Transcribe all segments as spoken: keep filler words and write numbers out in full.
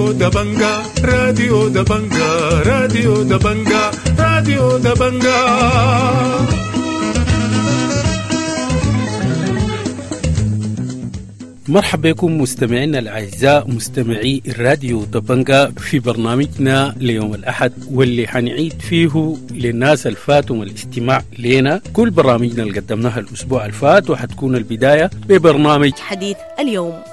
راديو دبنجا راديو دبنجا راديو دبنجا راديو دبنجا. مرحبا بكم مستمعينا الأعزاء مستمعي الراديو دبنجا في برنامجنا ليوم الأحد، واللي حنعيد فيه للناس الفاتهم الاستماع لنا كل برامجنا اللي قدمناها الأسبوع الفات، وحتكون البداية ببرنامج حديث اليوم.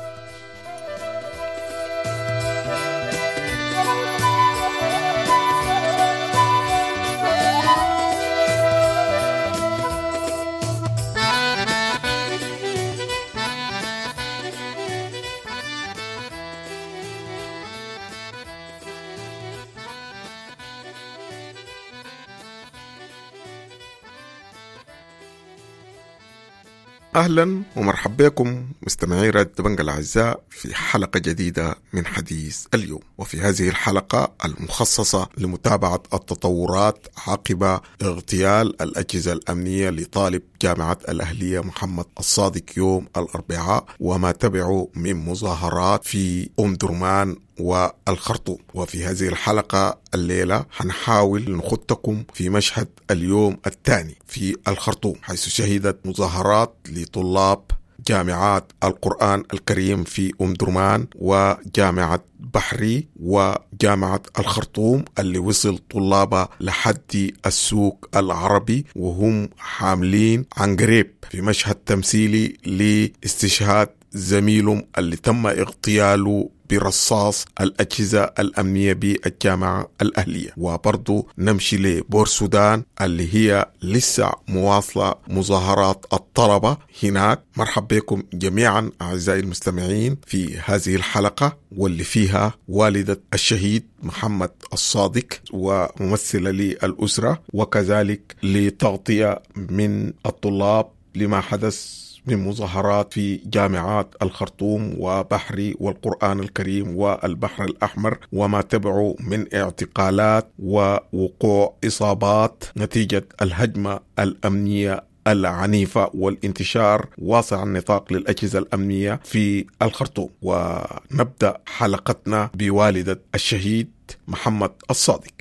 أهلا ومرحبا بكم مستمعي راديو دبنجا الأعزاء في حلقة جديدة من حديث اليوم. وفي هذه الحلقة المخصصة لمتابعة التطورات عقب اغتيال الأجهزة الأمنية لطالب جامعة الأهلية محمد الصادق يوم الأربعاء وما تبعه من مظاهرات في أم درمان والخرطوم. وفي هذه الحلقة الليلة هنحاول نخطكم في مشهد اليوم الثاني في الخرطوم، حيث شهدت مظاهرات لطلاب جامعات القرآن الكريم في أم درمان وجامعة بحري وجامعة الخرطوم اللي وصل طلابها لحد السوق العربي وهم حاملين عنقريب في مشهد تمثيلي لاستشهاد زميلهم اللي تم اغتياله برصاص الأجهزة الأمنية بالجامعة الأهلية. وبرضو نمشي لبور سودان اللي هي لسه مواصلة مظاهرات الطلبة هناك. مرحب بكم جميعا أعزائي المستمعين في هذه الحلقة واللي فيها والدة الشهيد محمد الصادق وممثلة للأسرة، وكذلك لتغطية من الطلاب لما حدث من مظاهرات في جامعات الخرطوم وبحري والقرآن الكريم والبحر الأحمر وما تبعه من اعتقالات ووقوع إصابات نتيجة الهجمة الأمنية العنيفة والانتشار واسع النطاق للأجهزة الأمنية في الخرطوم. ونبدأ حلقتنا بوالدة الشهيد محمد الصادق.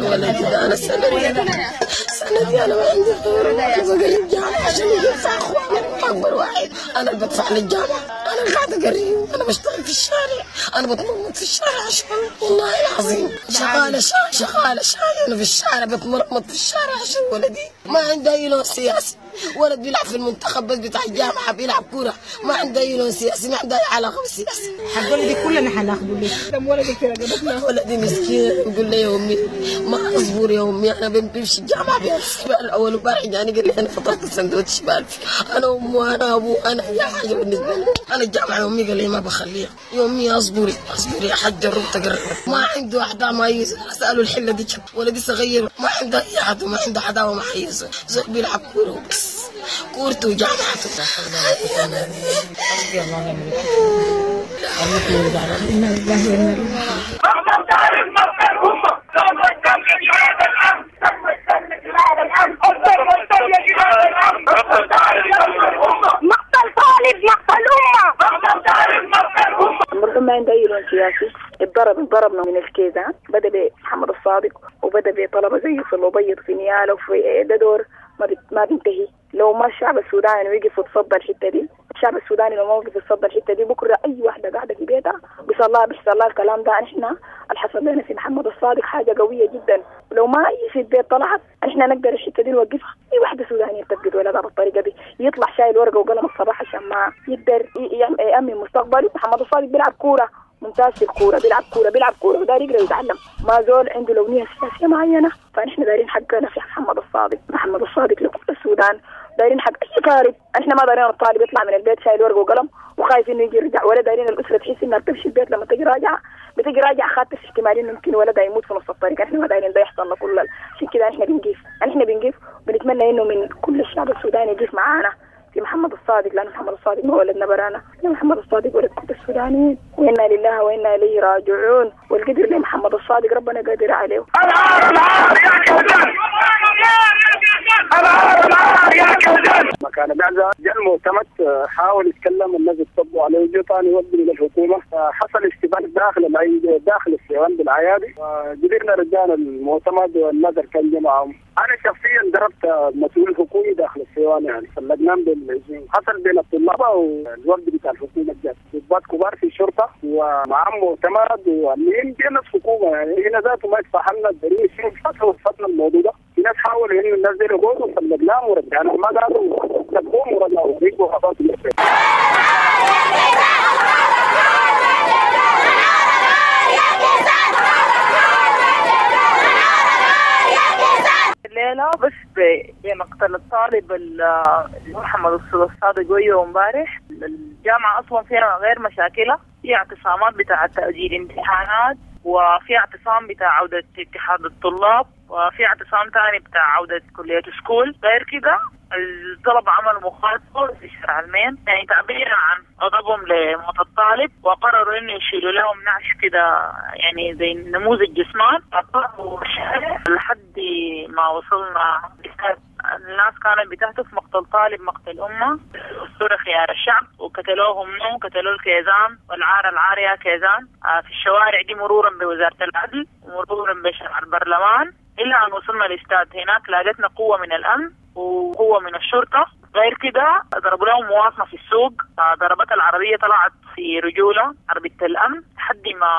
ولدي ده أنا السنة دي السنة دي أنا ما عندي غيره، أنا بقري الجامعة عشان يدفع أخواني، أكبر واحد أنا اللي بدفع للجامعة، أنا قاعدة أقري، أنا بشتغل في الشارع، أنا بتمرمط في الشارع عشان والله العظيم شغالة شاي شغالة شاي أنا في الشارع بتمرمط في الشارع عشان ولدي ما عنده أي لون سياسي، ولد بيلعب في المنتخب بس بتاع الجامعة بيلعب كورة، ما عنده أي لون سياسي، ما عنده أي علاقة بالسياسة. حق ولدي كلنا حناخده ليه؟ ولدي في رقبتنا. ولدي مسكين يقول لي يا أمي ما أصبر يا أمي، أنا بمشي الجامعة بمشي الأول وبارح يعني قال لي أنا فطرت سندوتش بألف، أنا أمه وأنا أبوه أنا أي حاجة بالنسبة لي، أنا الجامعة يا أمي قال لي ما بخليها، يا أمي أصبري أصبري يا حاج جربت أقرب، ما عنده أحد ما يسألوا الحلة دي، ولدي صغير ما عنده أي أحد وما عنده عداوة مع أي زول بيلعب كورة وبس، كورته وجامعته. حسبي الله ونعم الوكيل. مقتل طالب مقتل أمة. المرحوم ما عنده أي لون سياسي، اتضرب اتضربنا من الكيزان، بدأ بمحمد الصادق وبدأ بطلبة زيه في الأبيض في نيالا وفي ده دور ما ما بينتهي. لو ما الشعب السوداني وقف وتصدى الحتة دي، الشعب السوداني لو ما وقف وتصدى الحتة دي بكره اي واحدة قاعدة في بيتها بيصير لها بيحصل لها الكلام ده. احنا اللي حصل لنا في محمد الصادق حاجة قوية جدا، لو ما اي في البيت طلعت احنا نقدر الحتة دي نوقفها. اي واحدة سودانيه بتفقد ولدها بالطريقة دي يطلع شايل ورقة وقلم الصباح عشان ما يقدر يامن مستقبله. محمد الصادق بيلعب كورة ممتاز في الكورة، بيلعب كورة بيلعب كورة وداير يقرا ويتعلم، ما زول عنده لونيه سياسية معينة. فنحن دايرين حقنا في محمد الصادق، محمد الصادق لكل السودان، دايرين حق اي طالب. احنا ما دايرين الطالب يطلع من البيت شايل ورقة وقلم وخايف انه يجي يرجع، ولا دايرين الاسرة تحس انها بتمشي البيت لما تجي راجعه بتجي راجعه خاطر في احتمال انه يمكن ولدها يموت في نص الطريق. احنا ما دايرين ده يحصل لكل عشان كده احنا بنقيف، احنا بنقيف وبنتمنى انه من كل الشعب السوداني يقف معانا في في محمد الصادق، لأن محمد الصادق ما ولدنا برانا، محمد الصادق ولد كل السودانيين، وإنا لله وإنا إليه راجعون. والقدر لمحمد الصادق ربنا قادر عليه. العار العار يا كيزان، العار العار يا كيزان. مكان بعزة جاء المعتمد حاول يتكلم، الناس اتطبوا عليه، جه ثاني يوجه للحكومة، حصل اشتباك داخل العيد داخل الصيوان بالعيادي، قدرنا رجعنا المعتمد والنذر كان جمعهم. انا شخصيا ضربت مسؤول حكومي داخل الصيوان، يعني فلقناهم بالهجوم. حصل بين الطلاب والوفد بتاع الحكومة جات ضباط كبار في الشرطة ومعهم معتمد والمهم دي ناس حكومة، يعني هنا ذاته ما يتفهمنا الدليل شنو فتنا الموضوع ده. في ناس حاولوا انه الناس دي يقعدوا فلقناهم ورجعناهم، ما قالوا تقوم ورجعوا رجعوا خلاص. الليلة بس بمقتل الطالب محمد الصادق ويوم امبارح. الجامعة أصلا فيها غير مشاكلها، في اعتصامات بتاع تأجيل امتحانات، وفي اعتصام بتاع عودة اتحاد الطلاب، وفي اعتصام تاني بتاع عودة كلية سكول. غير كده الطلبة عملوا مخاطرة في شارع المين، يعني تعبيرا عن غضبهم لموت الطالب، وقرروا انه يشيلوا لهم نعش كده يعني زي نموذج جسمان، قطعوا الشارع لحد ما وصلنا. الناس كانت بتهتف مقتل طالب مقتل أمة، الصورة خيار الشعب، وقتلوهم منو قتلوا الكيزان، والعار العار يا كيزان في الشوارع دي، مرورا بوزارة العدل ومرورا بشارع البرلمان، إلى أن وصلنا الاستاد. هناك لاقتنا قوة من الأمن وقوة من الشرطة. غير كده ضربوا لهم مواصلة في السوق، ضربت العربية طلعت في رجولة عربية الأمن لحد ما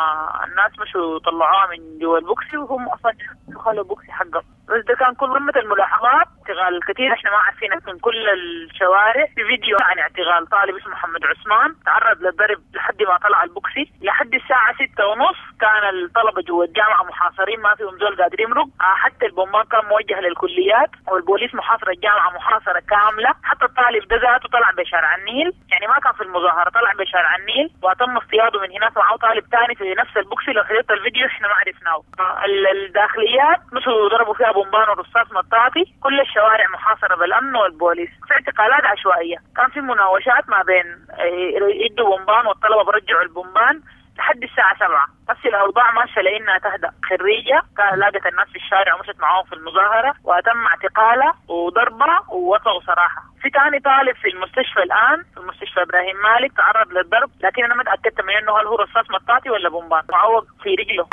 الناس مشوا طلعوها من جوا البوكسي، وهم أصلا دخلوا البوكسي حقهم. بس ده كان كل قمة الملاحظات. اعتقال الكثير احنا ما عارفين من كل الشوارع. في فيديو عن اعتقال طالب اسمه محمد عثمان تعرض للضرب لحد ما طلع البوكسي. لحد الساعة ستة ونص كان الطلبة جوا الجامعة محاصرين، ما فيهم زول قادر يمرق، حتى البومبان كان موجه للكليات، والبوليس محاصر الجامعة محاصرة كاملة. حتى الطالب ده ذاته طلع بشارع النيل، يعني ما كان في المظاهرة، طلع بشارع النيل وتم اصطياده من هناك. معه طالب ثاني في نفس البوكسي، لو حضرت الفيديو احنا ما عرفناه. الداخليات مشوا ضربوا فيها بومبان ورصاص مطاطي. كل الشوارع محاصرة بالأمن والبوليس. في اعتقالات عشوائية، كان في مناوشات ما بين يدوا بومبان والطلبة برجعوا البومبان لحد الساعة سبعة. بس الأوضاع ماشية لأنها تهدأ. خريجة لاقت الناس في الشارع ومشت معاهم في المظاهرة وتم اعتقالها وضربها ووقعوا صراحة. في تاني طالب في المستشفى الآن، في المستشفى إبراهيم مالك، تعرض للضرب، لكن أنا ما تأكدت من إنه هل هو رصاص مطاطي ولا بومبان، معوق في رجله.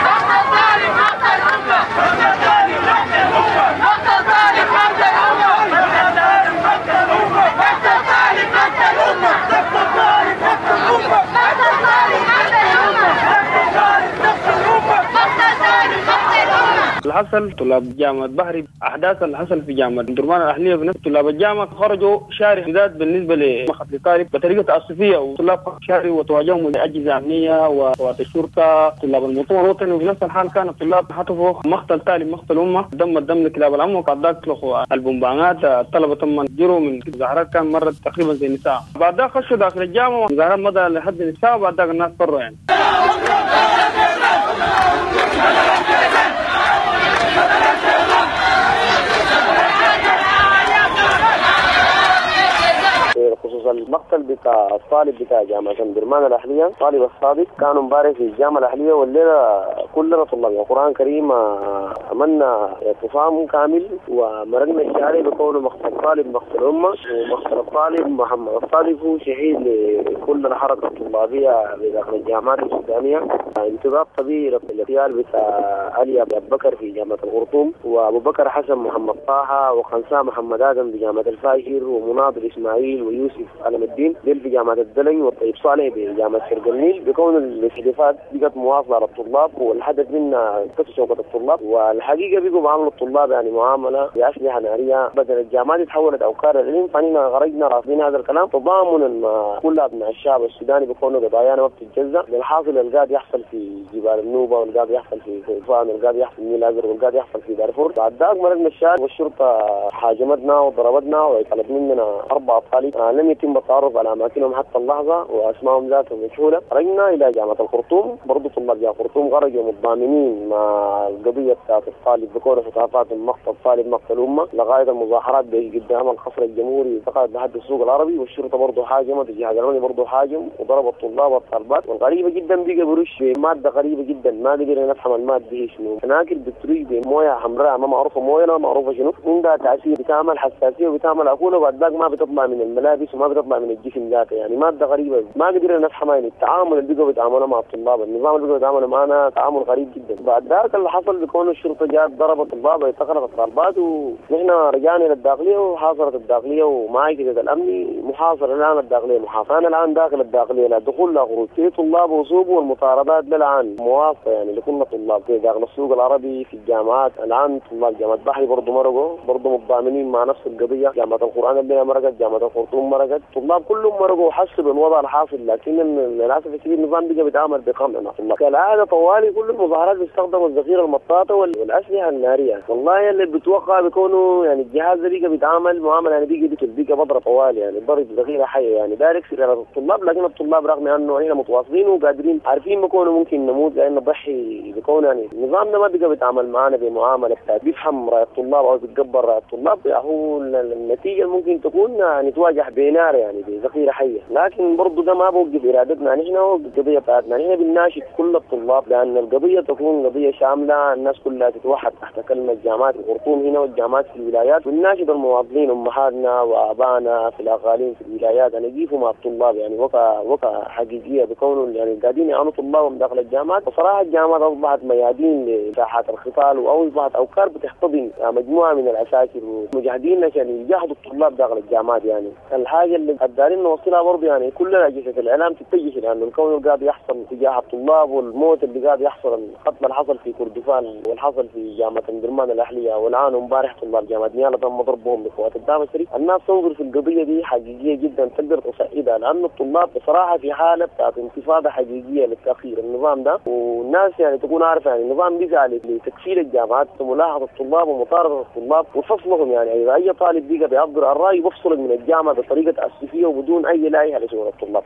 اللي حصل طلاب جامعة بحري، أحداث اللي حصل في جامعة درمان الأهلية بنفس طلاب الجامعة خرجوا شارع بالذات بالنسبة لمقتل طالب بطريقة تعسفية، وطلاب شارع وتواجههم أجهزة أمنية وقوات الشرطة طلاب المؤتمر الوطني. وفي نفس الحال كان الطلاب هتفوا مقتل طالب مقتل أمة، دم الدم لكلاب الأمن، وبعد ذاك اطلقوا البومبانات. الطلبة تم جروا من مظاهرات كان مرت تقريبا زي نساء، بعد ذاك خشوا داخل الجامعة ومظاهرات مضى لحد النساء، وبعد ذاك الناس فروا يعني. خصوصا المقتل بتاع الطالب بتاع جامعة درمان الأهلية، طالب الصادق، كانوا امبارح في الجامعة الأهلية والليلة كلنا طلاب القرآن الكريم عملنا اعتصام كامل ومرقنا الشارع بكونه مقتل طالب مقتل أمة، ومقتل الطالب محمد الصادق هو شهيد لكل الحركة الطلابية بداخل الجامعات السودانية. امتداد طبيعي للاغتيال بتاع علي أبو بكر في جامعة الخرطوم، وأبو بكر حسن محمد طه، وخنساء محمد آدم بجامعة الفاشر، ومناضل إسماعيل ويوسف علم الدين ديل في جامعة الدلنج، والطيب صالح بجامعة شرق النيل. بكون الاستهدافات بقت مواصلة على الطلاب، والحدث منا كسر شوكة الطلاب، والحقيقة بقوا معاملة الطلاب يعني معاملة بأسلحة نارية. بدل الجامعات تحولت أوكار العلم، فإننا خرجنا رافضين هذا الكلام تضامنا مع كل أبناء الشعب السوداني بكونه قضايانا ما بتتجزأ. الحاصل القاعد يحصل في جبال النوبة، والقاعد يحصل في كردفان، والقاعد يحصل في النيل الأزرق، والقاعد يحصل في دارفور. بعد ذاك مرقنا الشارع والشرطة حاجمتنا وضربتنا وطلب مننا أربع أطفال لم يتم التعرف على أماكنهم. اماكنهم حتى اللحظة واسمائهم ذاتهم مجهولة. خرجنا الى جامعه الخرطوم، برضه طلاب جامعه الخرطوم خرجوا متضامنين مع القضية بتاعت الطالب بكون هتافات مقتل طالب مقتل امه لغاية المظاهرات قدام القصر الجمهوري دخلت لحد السوق العربي، والشرطة برضه حاجمت، الجهاز الامني برضه حاجم وضرب الطلاب والطالبات. والغريبة جدا بقى برش بمادة غريبة جدا ما قدرنا نفهم المادة دي شنو، هناك بترش بمويه حمراء ما معروفة مويه ما معروفة شنو، عندها تاثير بتعمل حساسية وبتعمل اكوله وبعد ذاك ما بتطلع من الملابس وما بتطلع من الجسم ذاته، يعني مادة غريبة ما قدرنا نفهمها. يعني التعامل اللي بقوا بيتعاملوا مع الطلاب، النظام اللي بقوا بيتعاملوا معنا تعامل غريب جدا. بعد ذاك اللي حصل بكون الشرطة جات ضربت الطلاب واعتقلت الطالبات، ونحن رجعنا الى الداخلية وحاصرت الداخلية ومعي كده الامني محاصر الان الداخلية محاصرة. انا الان داخل الداخلية لا دخول لا خروج، في طلاب وصوب والمطاردات للان مواصلة يعني لكل الطلاب في داخل السوق العربي في الجامعات. الان طلاب جامعه بحري برضه مرقوا برضه متضامنين مع نفس القضية، جامعه القران اللي مرقت، جامعه الخرطوم مرقت، الطلاب كلهم مرقوا وحسوا بالوضع الحاصل، لكن للاسف الشديد النظام بقى بيتعامل بقمع مع الطلاب كالعادة. طوالي كل المظاهرات بيستخدموا الذخيره المطاطه والاسلحة النارية. والله اللي بتوقع بيكونوا يعني الجهاز ده بقى بيتعامل معاملة يعني بيجي بيجي بضرب طوالي يعني ضرب ذخيرة حيه يعني دارك في الطلاب، لكن الطلاب رغم انه احنا متواصلين وقادرين عارفين بكونوا ممكن نموت لان نضحي بكون يعني النظام ده ما بقى بيتعامل معانا بمعاملة بتاعت بيفهم راي الطلاب او بيتقبل راي الطلاب، هو النتيجة ممكن تكون نتواجه بنار يعني بذخيره حيه، لكن برضه ده ما بوقف ارادتنا نحن والقضية بتاعتنا. نحن بنناشد كل الطلاب لان القضية تكون قضية شاملة، الناس كلها تتوحد تحت كلمة جامعات الخرطوم هنا والجامعات في الولايات، ونناشد المواطنين امهاتنا وابائنا في الاقاليم في الولايات ان يقفوا مع الطلاب يعني وقفه وقفه حقيقية بكونوا يعني قاعدين يعانوا طلابهم داخل الجامعات. بصراحة الجامعات اصبحت ميادين لساحات القتال او اصبحت اوكار بتحتضن مجموعة من العساكر ومجاهدين عشان يجاهدوا الطلاب داخل الجامعات. يعني الحاجة اللي قادرين نوصلها برضه يعني كل اجهزة الاعلام تتجه لانه الكون اللي قاعد يحصل تجاه الطلاب والموت اللي قاعد يحصل، القتل اللي حصل في كردفان واللي حصل في جامعه امدرمان الاهلية، والان امبارح طلاب جامعه نيالا تم ضربهم بقوات الدعم السريع. الناس تنظر في القضية دي حقيقية جدا تقدر تصعدها، لانه الطلاب بصراحة في حاله بتاعت انتفاضة حقيقية للتاخير النظام ده، والناس يعني تكون عارفه يعني النظام بيسعى لتكفيل الجامعات وملاحظة الطلاب ومطارده الطلاب وفصلهم، يعني اذا اي طالب بيجي بيعبر عن رايه بفصلك من الجامعة بطريقة تاسفيه وبدون اي لائحة لشؤون الطلاب.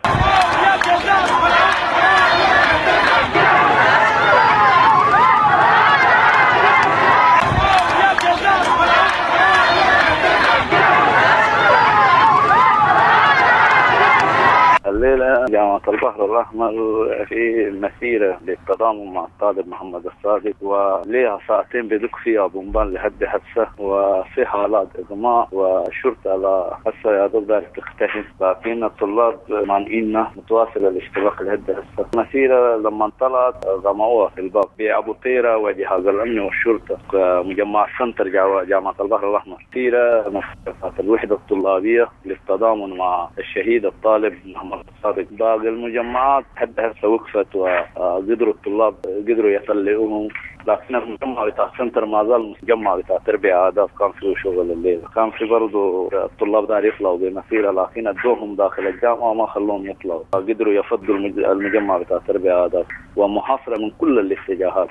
الليلة جامعة البحر الأحمر في مسيرة للتضامن مع الطالب محمد الصادق، وليها ساعتين بدق فيها بومبان لحد حادثة وفي حالات إغماء والشرطة على هسه يا دوب دارت تختفي، لكن الطلاب مانعيننا متواصلة الاشتباك لحد هسه. المسيرة لما طلعت غموها في الباب بأبو طيرة وجهاز الأمن والشرطة مجمع سنتر جامعة البحر الأحمر. مسيرة مسيرة الوحدة الطلابية للتضامن مع الشهيد الطالب محمد الصادق. باقي المجمعات حتى هسه وقفت وقدروا الطلاب قدروا يطلعوهم، لكن المجمع بتاع السنتر ما زال مجمع بتاع تربية آداب كان فيه شغل الليل، كان في برضه الطلاب دار يطلعوا بمسيرة لكن ادوهم داخل الجامعة ما خلوهم يطلعوا، قدروا يفضوا المجمع بتاع تربية آداب ومحاصرة من كل الاتجاهات.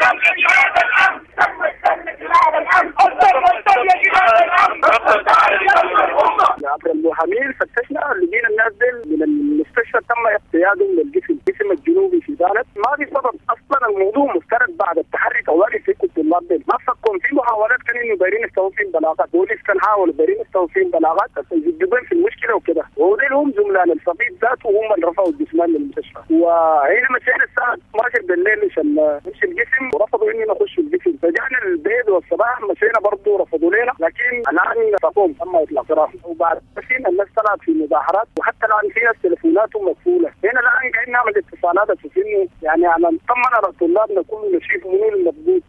عبر المحامين فتشنا لقينا الناس دي من المستشفى تم اقتيادهم للجسم الجسم الجنوبي في بلد ما في سبب اصلا. الموضوع مفترض بعد التحري طوالي في الطلاب دي ما فكهم في محاولات كان انه دايرين يستوفين بلاغات، بوليس كان حاول دايرين يستوفين بلاغات بس يجيبون في المشكلة وكده، وديل هم زملاء الفقيد ذاته هم اللي رفعوا الجثمان للمستشفى. وهنا مشينا الساعة اتناشر بالليل عشان نمشي الجسم ورفضوا اني نخش الجسم، رجعنا البيت والصباح مشينا برضه رفضوا لنا، لكن الان تقوم تم اطلاق سراحهم. وبعد مشينا الناس طلعت في مظاهرات وحتى الان في ناس تليفوناتهم مقفولة. هنا الان قاعدين نعمل اتصالات اساس انه يعني على نطمن على طلابنا كله نشوف منو المضبوط.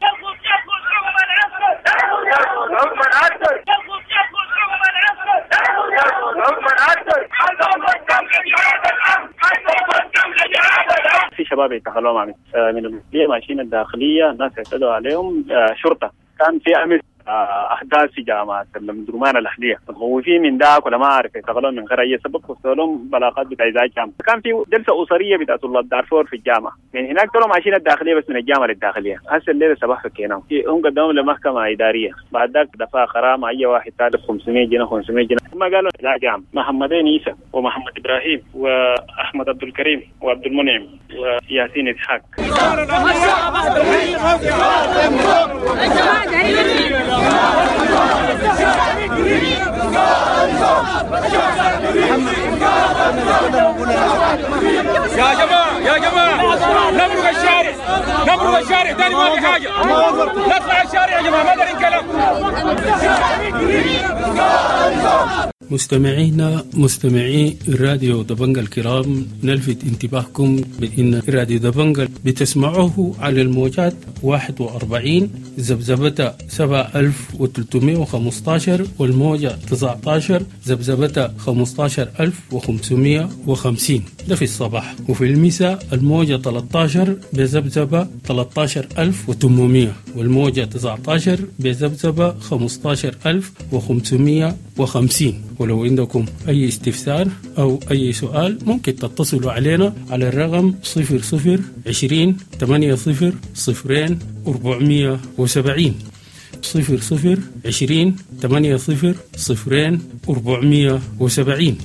في شباب اعتقلوهم من الداخلية ماشيين الداخلية، الناس اعتدوا عليهم شرطه. كان في امس احداث في جامعه الأمدرمان الاهلية، متخوفين من ذاك ولا ما اعرف اعتقلوهم من غير اي سبب، وصلوا بلاغات بتاع ازعاج جامعه. كان في جلسه اسرية بتاع طلاب دارفور في الجامعة، من هناك طلعوا ماشيين الداخلية بس من الجامعة للداخليه. هسه الليلة صباح فكيناهم، هم قدموا لمحكمة ادارية، بعد ذاك دفع غرامة اي واحد ثالث خمسمية جنيه خمسمية جنيه. هم قالوا لا جامعه محمدين عيسى ومحمد ابراهيم واحمد عبد الكريم وعبد المنعم وياسين اسحاق. يا جماعة يا جماعة نمرق الشارع، نمرق الشارع ثاني ما في حاجة، نطلع الشارع يا جماعة ما دارين كلام. مستمعينا مستمعي راديو دبنجا الكرام، نلفت انتباهكم بأن راديو دبنجا بتسمعوه على الموجات واحد وأربعين ذبذبة سبعة ألف وثلاثمائة وخمسة عشر والموجة تسعة عشر ذبذبة خمسة عشر ألف وخمسمائة وخمسين، ده في الصباح، وفي المساء الموجة ثلاثة عشر بذبذبة ثلاثة عشر ألف وثمانمائة والموجة تسعة عشر بذبذبة خمسة عشر ألف وخمسمائة وخمسين. ولو عندكم أي استفسار أو أي سؤال ممكن تتصلوا علينا على الرقم صفر صفر عشرين ثمانية صفر صفرين أربعمية وسبعين، صفر صفر عشرين ثمانية صفر صفرين أربعمية وسبعين.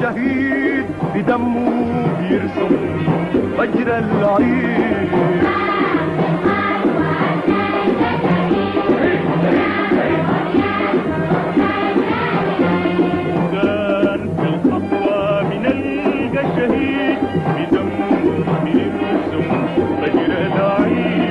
شهيد بدمه بيرسم فجر العيد. كان في الخطوة بنلقى شهيد بدمه بيرسم فجر العيد.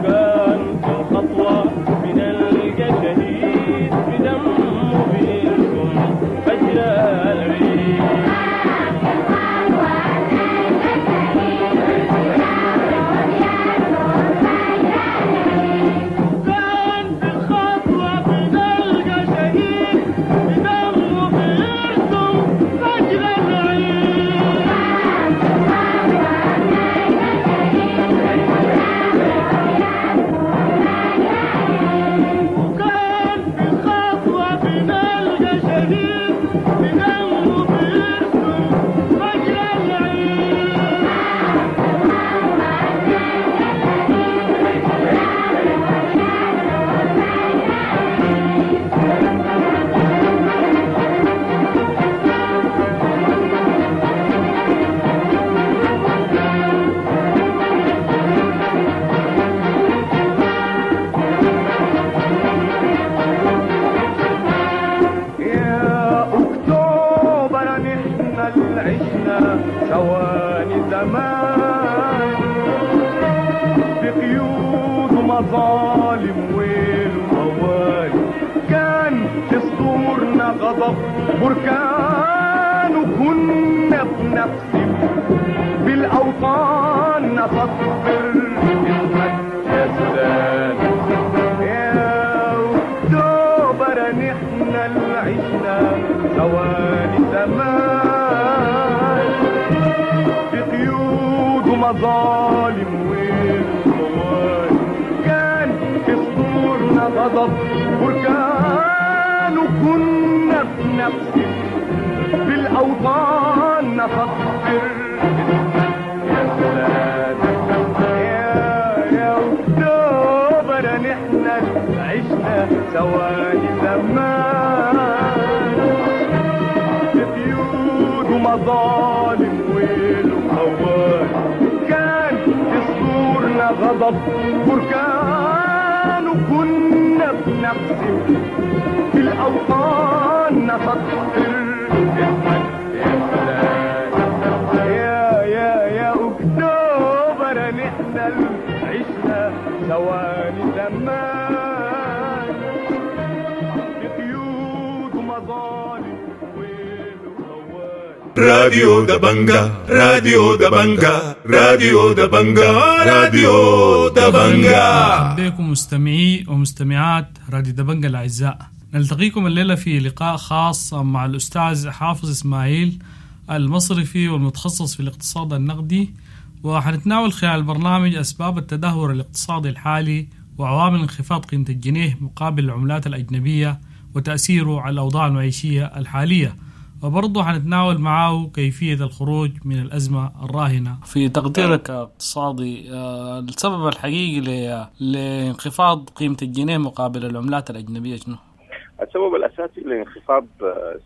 كان في قيود ومظالم ويل وموال، كان في صدورنا غضب بركان، وكنا بنقسم بالأوطان نسطر اسمك يا سودان. يا أكتوبر نحن اللي عشنا ثواني زمان، في قيود ومظالم ويل وموال، كان في صدورنا غضب بركان، وكنا بنقسم بالأوطان نسطر اسمك يا سودان. يا يا أكتوبر نحن عشنا ثواني زمان، في قيود ومظالم ويل وموال، كان في صدورنا غضب بركان، وكنا بنقسم بالأوطان نسطر اسمك يا سودان. يا يا يا أكتوبر نحن عشنا ثواني زمان، في قيود ومظالم ويل وموال. راديو دبنجا، راديو دبنجا، راديو دبنجا، راديو دبنجا. مرحبا بكم مستمعي ومستمعات راديو دبنجا الأعزاء. نلتقيكم الليلة في لقاء خاص مع الأستاذ حافظ إسماعيل المصرفي والمتخصص في الاقتصاد النقدي، وحنتناول خلال البرنامج أسباب التدهور الاقتصادي الحالي وعوامل انخفاض قيمة الجنيه مقابل العملات الأجنبية وتأثيره على الأوضاع المعيشية الحالية، وبرضه حنتناول معه كيفية الخروج من الأزمة الراهنة. في تقديرك اقتصادي، السبب الحقيقي لانخفاض قيمة الجنيه مقابل العملات الأجنبية شنو؟ السبب الأساسي لانخفاض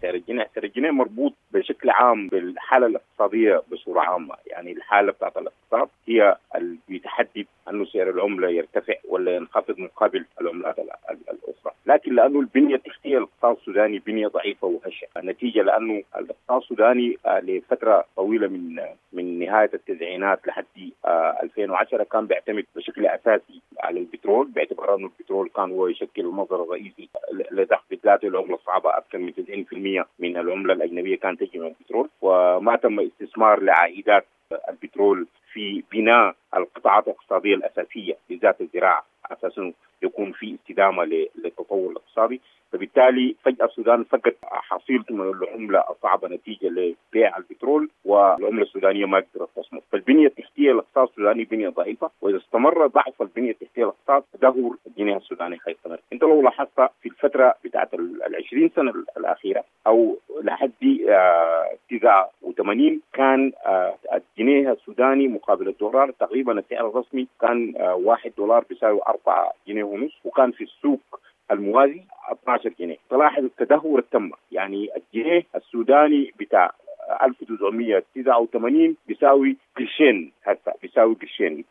سعر الجنيه، سعر الجنيه مربوط بشكل عام بالحالة الاقتصادية بصورة عامة. يعني الحالة بتاعت الاقتصاد هي اللي بتحدد أنه سعر العملة يرتفع ولا ينخفض مقابل العملات الأخرى، لكن لأنه البنية التحتية للاقتصاد السوداني بنية ضعيفة وهشة، نتيجة لأنه الاقتصاد السوداني لفترة طويلة من من نهاية التسعينات لحد ألفين وعشرة كان بيعتمد بشكل أساسي على البترول، باعتبار أنه البترول كان هو يشكل المصدر الرئيسي لدخل بالذات العملة الصعبة. أكثر من تسعين بالمئة من العملة الأجنبية كانت تجي من البترول، وما تم استثمار لعائدات البترول في بناء القطاعات الاقتصادية الأساسية بالذات الزراعة أساسا يكون في استدامة للتطور الاقتصادي. فبالتالي فجأة السودان فقد حصيلته من العملة الصعبة نتيجة لبيع البترول، والعملة السودانية ما قدرت تصمد. فالبنية التحتية للاقتصاد السوداني بنية ضعيفة، وإذا استمر ضعف البنية التحتية للاقتصاد تدهور الجنيه السوداني حيستمر. أنت لو لاحظت في الفترة بتاعت العشرين سنة الأخيرة أو لحد تسعة وثمانين كان الجنيه السوداني مقابل الدولار تقريبا السعر الرسمي كان واحد دولار بيساوي أربعة جنيه ونص، وكان في السوق الموازي اثنا عشر جنيه. تلاحظ التدهور التم، يعني الجنيه السوداني بتاع ألف وتسعمية وتسعة وثمانين بيساوي قرشين، هسه بيساوي قرشين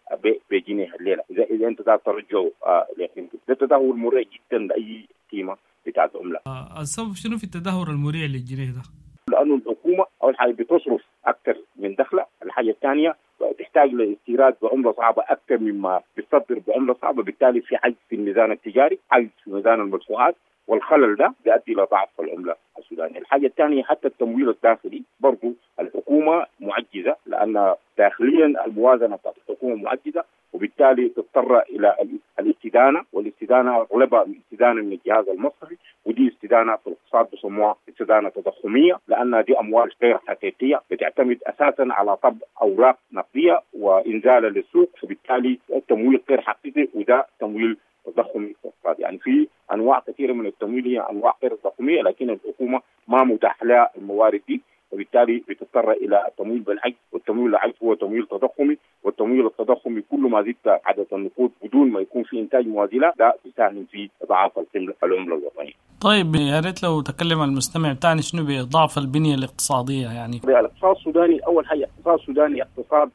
بجنيه الليلة. اذا اذا انت داير ترجعه لقيمته، ده تدهور مريع جدا لاي قيمة بتاعت عمله. السبب شنو في التدهور المريع للجنيه ده؟ لانه الحكومة اول حاجة بتصرف اكثر من دخلها، الحاجة الثانية تحتاج لاستيراد بعمله صعبة اكثر مما بتصدر بعمله صعبة، بالتالي في عجز في الميزان التجاري، عجز في ميزان المدفوعات، والخلل ده بيؤدي الى ضعف العملة السودانية. الحاجة الثانية حتى التمويل الداخلي برضه الحكومة معجزه، لان داخليا الموازنة بتاعت الحكومة معجزه، وبالتالي تضطر الى الاستدانه، والاستدانه اغلبها استدانه من الجهاز المصرفي، ودي استدانه في الاقتصاد بسموها استدانه تضخميه، لان دي اموال غير حقيقية بتعتمد اساسا على طبع اوراق نقدية وانزالها للسوق، فبالتالي التمويل غير حقيقي، وده تمويل تضخمي اقتصادي. يعني في انواع كثيرة من التمويل هي انواع غير تضخميه، لكن الحكومة ما متاح لها الموارد دي، وبالتالي بتضطر الى التمويل بالعجز، والتمويل بالعجز هو تمويل تضخمي، والتمويل التضخمي كل ما زدت عدد النقود بدون ما يكون في انتاج موازي له، ده بيساهم في اضعاف العملة الوطنية. طيب يا ريت لو تكلم المستمع بتاعنا شنو بضعف البنية الاقتصادية. يعني الاقتصاد السوداني اول حاجة الاقتصاد السوداني اقتصاد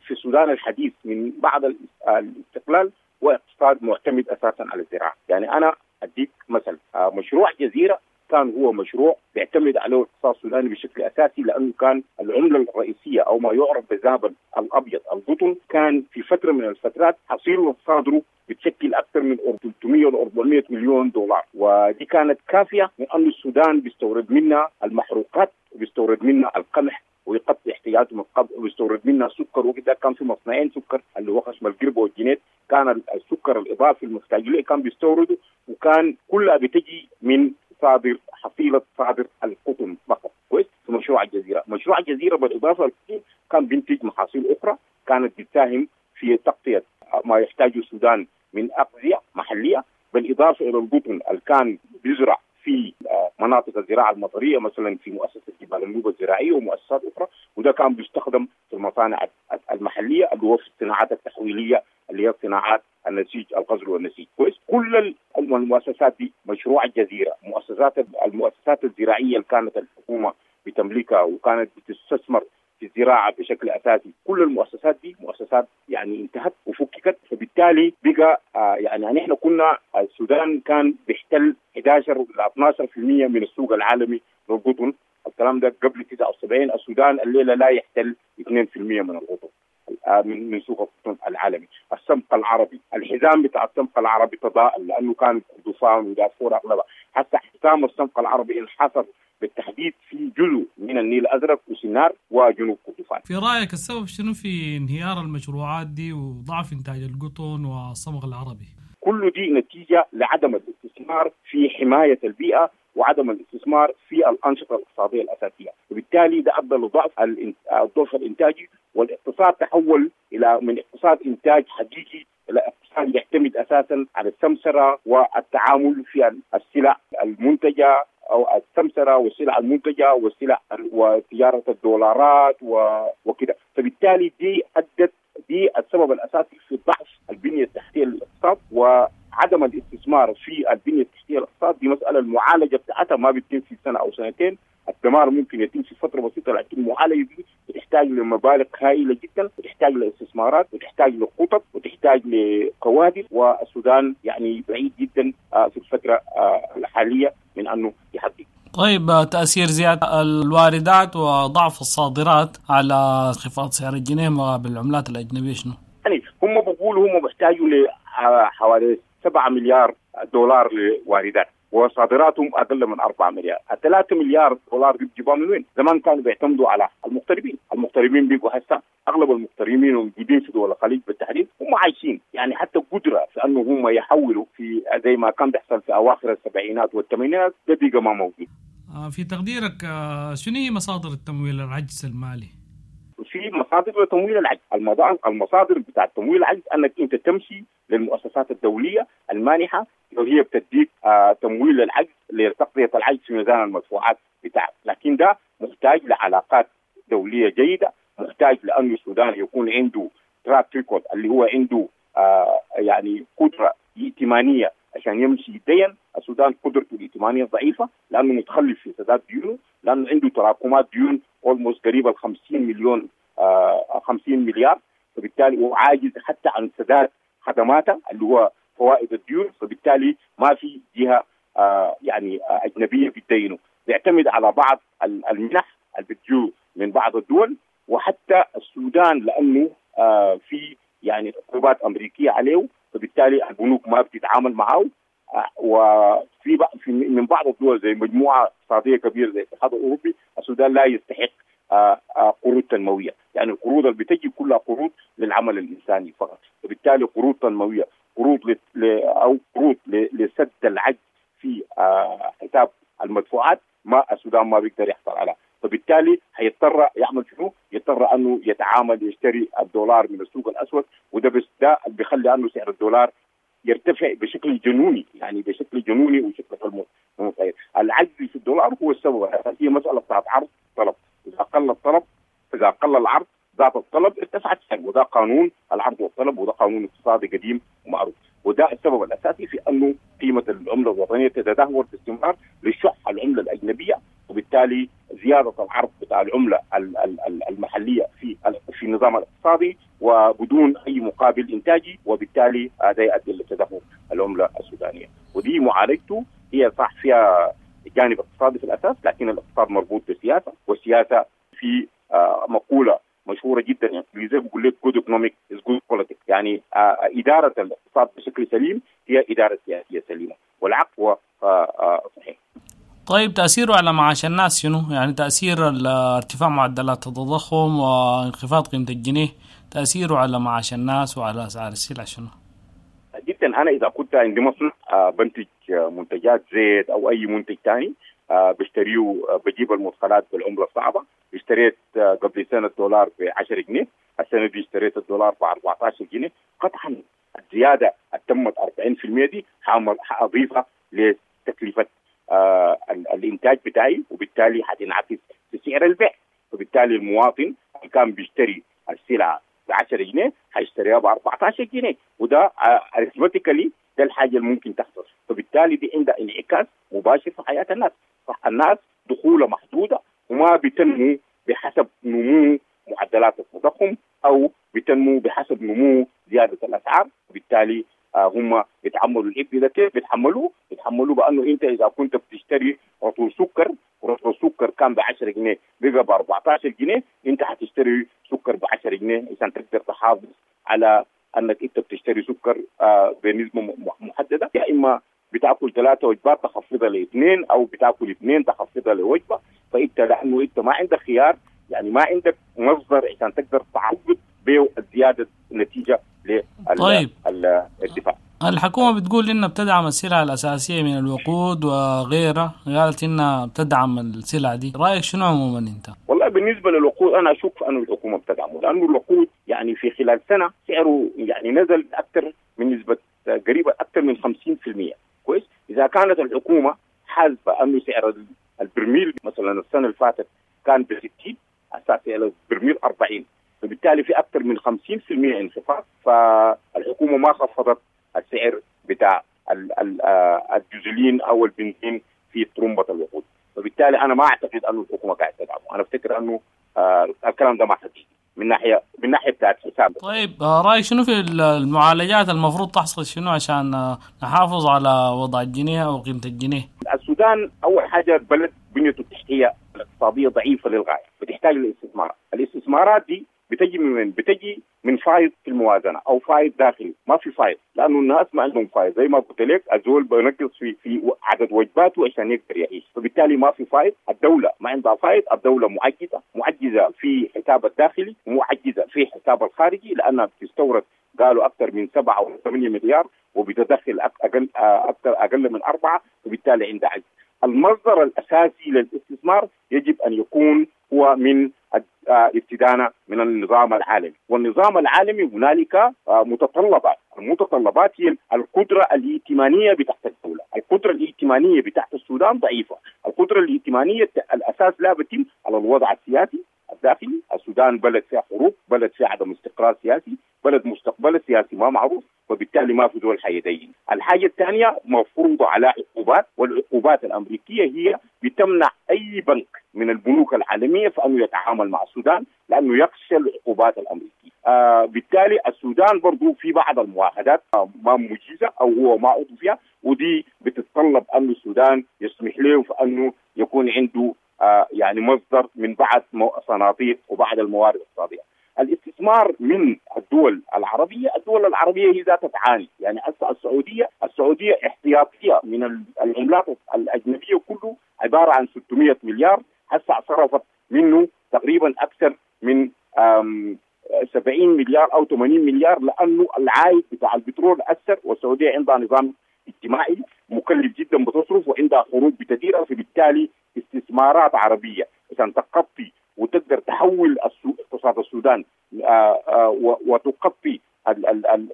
في السودان الحديث من بعد الاستقلال هو اقتصاد معتمد اساسا على الزراعة. يعني انا اديك مثل، مشروع جزيرة كان هو مشروع بيعتمد عليه الاقتصاد السوداني بشكل اساسي، لانه كان العملة الرئيسية او ما يعرف بالذهب الابيض القطن كان في فترة من الفترات حصيله صادرة بتشكل اكثر من ثلاثمئة ل أربعمئة مليون دولار، ودي كانت كافيه من انه السودان بيستورد منها المحروقات وبيستورد منها القمح ويغطي احتياجاته من القمح ويستورد منها سكر وكده. كان في مصنعين سكر اللي هو خشم القربة والجنيد، كان السكر الاضافي المحتاج له كان بيستورده، وكان كلها بتجي من صادر حصيله صادر القطن فقط. كويس. في مشروع الجزيرة، مشروع الجزيرة بالاضافة للقطن كان بينتج محاصيل اخرى كانت بتساهم في تغطيه ما يحتاجه السودان من اغذيه محليه، بالاضافة الى القطن اللي كان بيزرع في مناطق الزراعة المطريه مثلا في مؤسسة جبال النوبة الزراعية ومؤسسات اخرى، وده كان بيستخدم في المصانع المحلية اللي هو في الصناعات التحويليه اللي هي صناعات النسيج الغزل والنسيج. كويس. كل المؤسسات دي، مشروع الجزيرة، مؤسسات المؤسسات الزراعية اللي كانت الحكومة بتملكها وكانت بتستثمر في الزراعة بشكل اساسي، كل المؤسسات دي مؤسسات يعني انتهت وفككت. فبالتالي بقى آه يعني نحن كنا السودان كان بيحتل احد عشر الى اثنا عشر بالمئة من السوق العالمي للقطن، الكلام ده قبل تسعة وسبعين. السودان الليلة لا يحتل اثنين بالمئة من القطن من من سوق القطن العالمي. السمق العربي، الحزام بتاع السمق العربي تضاءل لانه كان كردفان ودارفور اغلبها، حتى حزام السمق العربي انحصر بالتحديد في جزء من النيل الازرق وسنار وجنوب كردفان. في رايك السبب شنو في انهيار المشروعات دي وضعف انتاج القطن والصمغ العربي؟ كل دي نتيجة لعدم الاستثمار في حماية البيئة وعدم الاستثمار في الانشطة الاقتصادية الاساسية، وبالتالي ده ادى لضعف الضعف الانتاجي، والاقتصاد تحول الى من اقتصاد انتاج حقيقي الى اقتصاد يعتمد اساسا على السمسره والتعامل في السلع المنتجة او السمسره والسلع المنتجة والسلع وتجارة الدولارات وكده. فبالتالي دي ادت دي السبب الاساسي في ضعف البنية التحتية للاقتصاد وعدم الاستثمار في البنية التحتية للاقتصاد. دي مسالة المعالجة بتاعتها ما بتتم في سنة او سنتين، الدمار ممكن يتم في فترة بسيطة، لكن المعالجة دي بتحتاج لمبالغ هائلة جدا، وتحتاج لاستثمارات وتحتاج لخطط وتحتاج لكوادر، والسودان يعني بعيد جدا في الفترة الحالية من انه يحقق. طيب، تأثير زيادة الواردات وضعف الصادرات على انخفاض سعر الجنيه مقابل العملات الأجنبية شنو؟ يعني هم بيقولوا هم بيحتاجوا لحوالي سبعة مليار دولار لواردات وصادراتهم اقل من أربعة مليار، الثلاثة مليار دولار بيجيبوها من وين؟ زمان كانوا بيعتمدوا على المغتربين، المغتربين بيجوا هسه اغلب المغتربين الموجودين في دول الخليج بالتحديد هم عايشين، يعني حتى قدره في انه هم يحولوا في زي ما كان بيحصل في اواخر السبعينات والثمانينات ده بقى ما موجود. في تقديرك شنو هي مصادر التمويل العجز المالي؟ في مصادر لتمويل العجز، المصادر بتاع تمويل العجز انك انت تمشي للمؤسسات الدولية المانحه وهي بتديك آه تمويل للعجز لتغطيه العجز في ميزان المدفوعات بتاعك، لكن ده محتاج لعلاقات دولية جيدة، محتاج لانه السودان يكون عنده track record اللي هو عنده آه يعني قدره ائتمانيه عشان يمشي يدين. السودان قدرته الائتمانية ضعيفة لانه متخلف في سداد ديونه، لانه عنده تراكمات ديون almost قريبه ل خمسين مليون آه خمسين مليار، فبالتالي هو عاجز حتى عن سداد خدماته اللي هو فوائد الديون، فبالتالي ما في جهة آه يعني آه اجنبية بتدينه، بيعتمد على بعض المنح اللي بتجو من بعض الدول، وحتى السودان لانه آه في يعني عقوبات امريكية عليه، فبالتالي البنوك ما بتتعامل معه، آه وفي في من بعض الدول زي مجموعة اقتصادية كبيرة زي الاتحاد الاوروبي السودان لا يستحق آه آه قروض تنموية، يعني القروض اللي بتجي كلها قروض للعمل الانساني فقط، وبالتالي قروض تنموية، قروض ل... ل... او قروض ل... لسد العجز في آه حساب المدفوعات ما السودان ما بيقدر يحصل عليها، فبالتالي هيضطر يعمل شنو؟ يضطر انه يتعامل يشتري الدولار من السوق الاسود، وده بس ده اللي بيخلي انه سعر الدولار يرتفع بشكل جنوني، يعني بشكل جنوني وشكل غير متغير. العجز في الدولار هو السبب الاساسي، مسالة بتاعت عرض طلب، اذا قل الطلب اذا قل العرض زاد الطلب ارتفع السعر، وده قانون العرض والطلب، وده قانون اقتصادي قديم ومعروف، وده السبب الاساسي في انه قيمة العملة الوطنية تتدهور باستمرار لشح العملة الاجنبية، وبالتالي زيادة العرض بتاع العملة المحلية في في النظام الاقتصادي وبدون اي مقابل انتاجي، وبالتالي هذا يؤدي لتدهور العملة السودانية. ودي معالجته هي صح فيها جانب اقتصادي في الاساس، لكن الاقتصاد مربوط بالسياسة، والسياسة في آه مقولة مشهورة جدا يعني زي بيقول لك good economic is good politics، يعني آه ادارة الاقتصاد بشكل سليم هي ادارة سياسية سليمة، والعكس هو آه صحيح. طيب تأثيره على معاش الناس شنو؟ يعني تأثير ارتفاع معدلات التضخم وانخفاض قيمة الجنيه، تأثيره على معاش الناس وعلى أسعار السلع شنو؟ جدا. أنا إذا كنت عندي مصنع بنتج منتجات زيت أو أي منتج ثاني بشتريه، بجيب المدخلات بالعملة الصعبة. اشتريت قبل سنة الدولار ب عشرة جنيه، السنة دي اشتريت الدولار ب أربعة عشر جنيه. قطعا الزيادة تمت أربعين بالمئة دي حأضيفها لتكلفة آه الانتاج بتاعي، وبالتالي حتنعكس في سعر البيع. فبالتالي المواطن اللي كان بيشتري السلعة ب عشرة جنيه حيشتريها ب أربعة عشر جنيه، وده arithmetically ده الحاجة اللي ممكن تحصل. فبالتالي دي عندها انعكاس مباشر في حياة الناس. الناس دخولها محدودة وما بتنمو بحسب نمو معدلات التضخم او بتنمو بحسب نمو زيادة الاسعار، وبالتالي آه هم بيتحملوا العبء ده. كيف بيتحملوه؟ بيتحملوه بانه انت اذا كنت بتشتري رطل سكر، ورطل سكر كان ب عشرة جنيه بقى ب أربعة عشر جنيه، انت حتشتري سكر ب عشرة جنيه عشان تقدر تحافظ على انك انت بتشتري سكر آه بنسبة محددة. يا اما بتاكل ثلاثة وجبات تخفضها لاثنين، او بتاكل اثنين تخفضها لوجبه. فانت لانه انت ما عندك خيار، يعني ما عندك مصدر عشان تقدر تعوض به الزيادة نتيجة لل طيب. الدفاع. الحكومة بتقول إنها بتدعم السلع الأساسية من الوقود وغيرها، قالت إنها بتدعم السلع دي، رأيك شنو عموما أنت؟ والله بالنسبة للوقود أنا أشك أنه الحكومة بتدعمه، لأنه الوقود يعني في خلال سنة سعره يعني نزل أكثر من نسبة قريبة أكثر من خمسين بالمئة. كويس؟ إذا كانت الحكومة حاسبة أنه سعر البرميل مثلا السنة اللي فاتت كان ب ستين، هسه سعر البرميل أربعين، فبالتالي في أكثر من خمسين بالمئة انخفاض. فالحكومة ما خفضت السعر بتاع الجزولين أو البنزين في طرمبة الوقود، فبالتالي أنا ما أعتقد أنه الحكومة قاعدة تدعمه. أنا أفتكر أنه آه الكلام ده ما حقيقي من ناحية من ناحية بتاعت حساب. طيب رأيك شنو في المعالجات المفروض تحصل شنو عشان نحافظ على وضع الجنيه أو قيمة الجنيه؟ السودان أول حاجة بلد بنيته التحتية الاقتصادية ضعيفة للغاية، بتحتاج للاستثمار. الاستثمارات دي بتجي من بتجي من فايض في الموازنة او فايض داخلي، ما في فايض لانه الناس ما عندهم فايض. زي ما قلت لك الزول بينقص في في عدد وجباته عشان يقدر يعيش، فبالتالي ما في فايض. الدولة ما عندها فايض، الدولة معجزه، معجزه في حساب الداخلي ومعجزة في حساب الخارجي، لانها بتستورد قالوا اكثر من سبعة او ثمانية مليار وبتدخل اقل اكثر اقل من اربعة، وبالتالي عندها عجز. المصدر الاساسي للاستثمار يجب ان يكون هو من استدانة من النظام العالمي، والنظام العالمي هنالك متطلبات، المتطلبات هي القدرة الائتمانية بتاعت الدولة، القدرة الائتمانية بتاعت السودان ضعيفة، القدرة الائتمانية الأساس لا بتم على الوضع السياسي الداخلي. السودان بلد فيها حروب، بلد فيها عدم استقرار سياسي، بلد مستقبل سياسي ما معروف، وبالتالي ما في دول حيدين. الحاجة الثانية مفروضة على عقوبات، والعقوبات الأمريكية هي بتمنع أي بنك من البنوك العالمية فأنه يتعامل مع السودان لأنه يخشى العقوبات الأمريكية. آه بالتالي السودان برضو في بعض المعاهدات آه ما مجيزة أو هو ما عضو فيها، ودي بتتطلب أن السودان يسمح له فأنه يكون عنده آه يعني مصدر من بعض صناديق وبعض الموارد الاقتصادية. الاستثمار من الدول العربية، الدول العربية هي ذاتها تعاني، يعني السعودية السعودية احتياطية من العملات الأجنبية كله عبارة عن ستمائة مليار، هسه صرفت منه تقريبا أكثر من سبعين مليار أو ثمانين مليار، لأنه العائد بتاع البترول أثر، والسعودية عندها نظام اجتماعي مكلف جدا بتصرف وعندها خروج بتديرها، فبالتالي استثمارات عربية عشان تغطي وتقدر تحول اقتصاد السودان وتغطي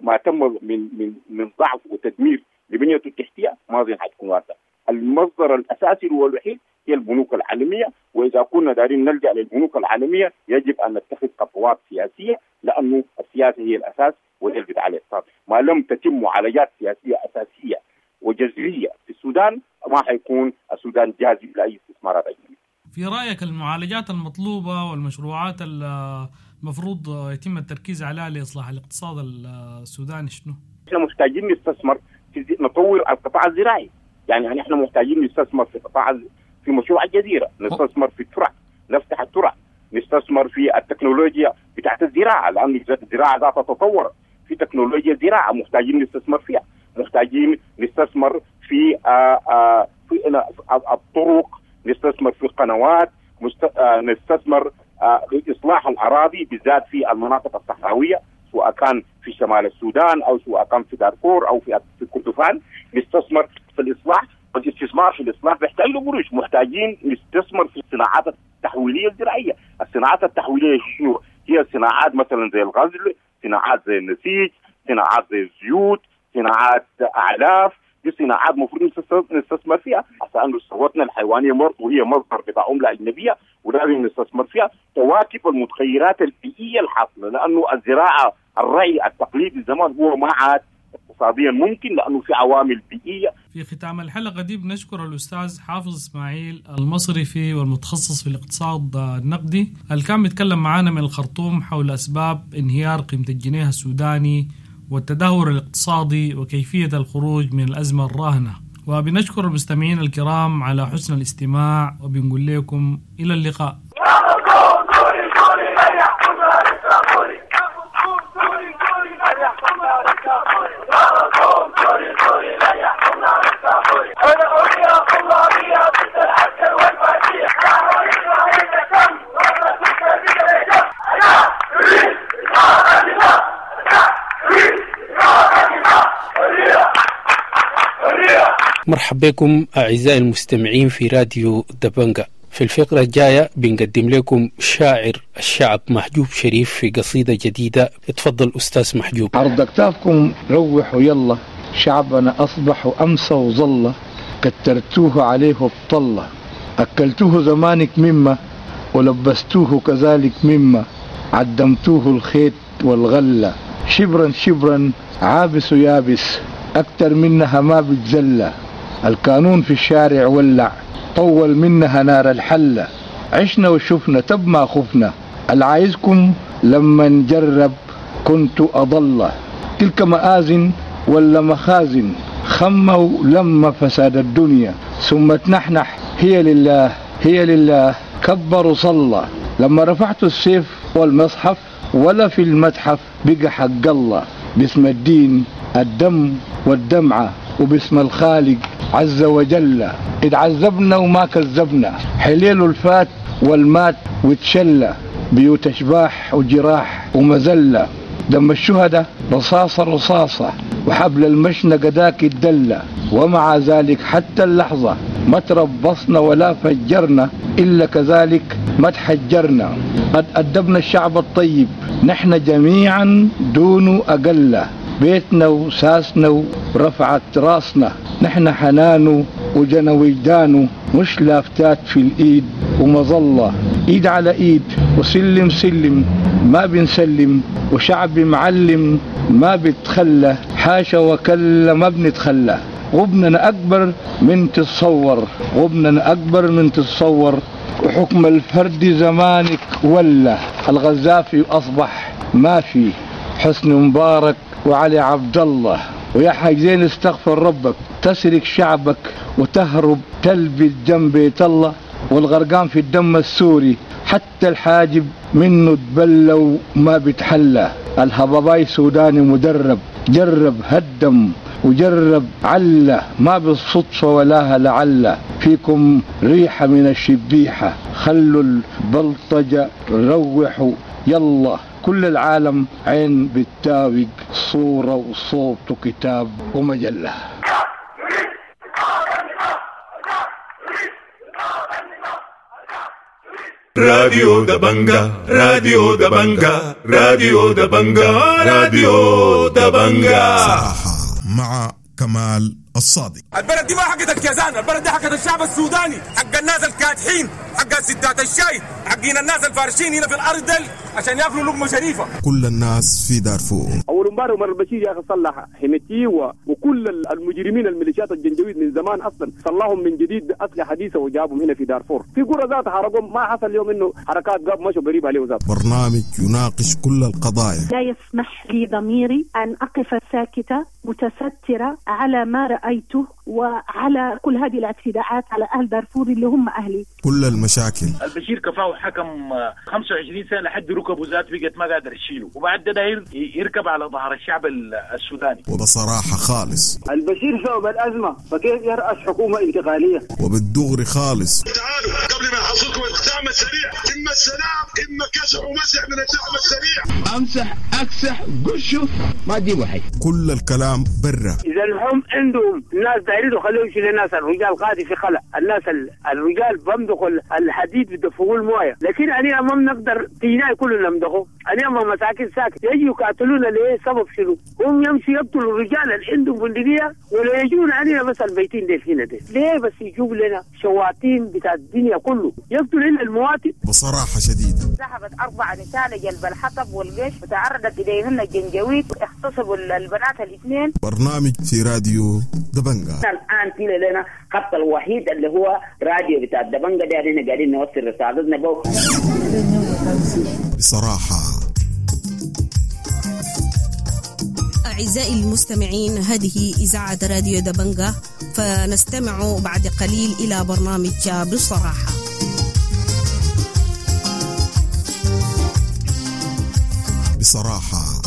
ما تم من من من ضعف وتدمير لبنيته التحتية ما اظن حتكون وارده. المصدر الاساسي والوحيد هي البنوك العالمية، واذا كنا دارين نلجا للبنوك العالمية يجب ان نتخذ خطوات سياسية، لانه السياسة هي الاساس وهي اللي بتعالج الاقتصاد. ما لم تتم معالجات سياسية اساسية وجذريه في السودان ما حيكون السودان جاذب لاي استثمارات اجنبية. في رأيك المعالجات المطلوبة والمشروعات المفروض يتم التركيز عليها لإصلاح الاقتصاد السوداني شنو؟ احنا محتاجين نستثمر في نطور القطاع الزراعي. يعني نحن محتاجين نستثمر في قطاع في مشروع الجزيرة، نستثمر في الترع، نفتح الترع، نستثمر في التكنولوجيا بتاعت الزراعة، لأن الزراعة ذاتها تطور، في تكنولوجيا زراعة محتاجين نستثمر فيها، محتاجين نستثمر في آآ آآ في الطرق، نستثمر في القنوات، نستثمر في إصلاح الأراضي بالذات في المناطق الصحراوية، سواء كان في شمال السودان أو سواء كان في دارفور أو في في كردفان. نستثمر في الإصلاح، والاستثمار في الإصلاح بيحتاج له قروش. محتاجين نستثمر في الصناعات التحويلية الزراعية. الصناعات التحويلية شنو؟ هي صناعات مثلا زي الغزل، صناعات زي النسيج، صناعات زي الزيوت، صناعات أعلاف. دي صناعات المفروض نستثمر فيها عشان ثروتنا الحيوانية برضه هي مصدر بتاع عمله اجنبية ولازم نستثمر فيها. تواكب المتغيرات البيئية الحاصلة، لانه الزراعة الرعي التقليدي زمان هو ما عاد اقتصاديا ممكن لانه في عوامل بيئية. في ختام الحلقة دي بنشكر الاستاذ حافظ اسماعيل المصرفي والمتخصص في الاقتصاد النقدي اللي كان بيتكلم معانا من الخرطوم حول اسباب انهيار قيمة الجنيه السوداني والتدهور الاقتصادي وكيفية الخروج من الأزمة الراهنة. وبنشكر المستمعين الكرام على حسن الاستماع، وبنقول لكم إلى اللقاء. مرحبا بكم أعزائي المستمعين في راديو دبنجا. في الفقرة الجاية بنقدم لكم شاعر الشعب محجوب شريف في قصيدة جديدة. اتفضل أستاذ محجوب. عرض أكتافكم روحوا يلا، شعبنا أصبح أمسى وظل، كترتوه عليه بطلة، أكلتوه زمانك مما ولبستوه كذلك مما، عدمتوه الخيط والغلة، شبرا شبرا عابس ويابس، أكتر منها ما بتزلى، القانون في الشارع ولع، طول منها نار الحلة، عشنا وشفنا تب ما خفنا، العايزكم لما نجرب كنت أضل، تلك مآزن ولا مخازن، خموا لما فساد الدنيا، ثم تنحنح هي لله هي لله، كبروا صلى، لما رفعت السيف والمصحف ولا في المتحف بقى حق الله، باسم الدين الدم والدمعة، وباسم الخالق عز وجل، اتعذبنا وما كذبنا، حليل الفات والمات وتشلى، بيوت اشباح وجراح ومذلة، دم الشهداء رصاصة رصاصة، وحبل المشنقة ذاك الدلة، ومع ذلك حتى اللحظة ما تربصنا ولا فجرنا، إلا كذلك ما تحجرنا، قد أدبنا الشعب الطيب نحن جميعا دون أقل، بيتنا وساسنا ورفعت راسنا، نحن حنانه وجنا وجدانه، مش لافتات في الإيد ومظلة، إيد على إيد وسلم سلم ما بنسلم، وشعب معلم ما بتخلى، حاشا وكلا ما بنتخلى، غبننا أكبر من تتصور، غبننا أكبر من تتصور، وحكم الفرد زمانك ولا، الغزافي أصبح ما في، حسن مبارك وعلي عبد الله، ويا حاج زين استغفر ربك، تسرق شعبك وتهرب تلبي جنب بيت الله، والغرقان في الدم السوري حتى الحاجب منه تبلى وما بتحلى، الهباباي سوداني مدرب، جرب هدم وجرب عله، ما بالصدفة ولاها لعله، فيكم ريحة من الشبيحة، خلوا البلطجة روحوا يلا، كل العالم عين بالتاوق، صورة وصوت وكتاب ومجلة. راديو دبنجا، راديو دبنجا، راديو دبنجا، راديو دبنجا مع كمال الصادق. البلد دي ما حقت الكيزان، البلد دي حقت الشعب السوداني، حق الناس الكادحين، حق ستات الشاي، حقين الناس الفارشين هنا في الارض دل عشان ياكلوا لقمة شريفه. كل الناس في دارفور. اول امبارح عمر البشير يا اخي صلح حميتي و... وكل المجرمين الميليشيات الجنجويد من زمان اصلا صلحهم من جديد باسلحه حديثه وجابهم هنا في دارفور. في قرى ذات حرقهم، ما حصل اليوم انه حركات قاب مشوا قريب عليه ذات. برنامج يناقش كل القضايا. لا يسمح لي ضميري ان اقف ساكته متستره على ما رأيت رأيته وعلى كل هذه الاعتداءات على أهل دارفور اللي هم أهلي. كل المشاكل. البشير كفاه حكم خمسة وعشرين سنة لحد ركبه ذات بقت ما قادر يشيله، وبعد ده داير يركب على ظهر الشعب السوداني. وبصراحة خالص البشير سبب الأزمة، فكيف يرأس حكومة انتقالية؟ وبالدغري خالص. تعالوا قبل ما يحصلكم الدعم السريع، إما السلام إما كسح ومسح من الدعم السريع. أمسح أكسح قشه ما تجيبوا حي. كل الكلام برا. إذا هم عندهم الناس دايرين خليهم يشيلوا الناس، الرجال قاعد في خلا، الناس الرجال بمدخوا الحديد بدفقوا المويه، لكن أنا ما بنقدر تينا كلنا نمدخه، أنا ما مساكن ساكت يجوا يقاتلونا ليه؟ سبب شنو؟ هم يمشي يقتلوا الرجال اللي عندهم بندقية ولا يجون علينا بس البيتين دي هنا دي، ليه بس يجيب لنا شواطين بتاع الدنيا كله يقتلوا لنا المواطن؟ بصراحة شديدة. ذهبت أربع نساء لجلب الحطب والقش وتعرضت إليهن الجنجويد، اغتصبوا البنات الاثنين. برنامج في راديو دبنجا. الآن في لنا خط الوحيد اللي هو راديو بتاع دبنجا ده، احنا قاعدين نوصل رسالتنا بو. بصراحة أعزائي المستمعين، هذه إذاعة راديو دبنجا، فنستمع بعد قليل إلى برنامج بصراحة. بصراحة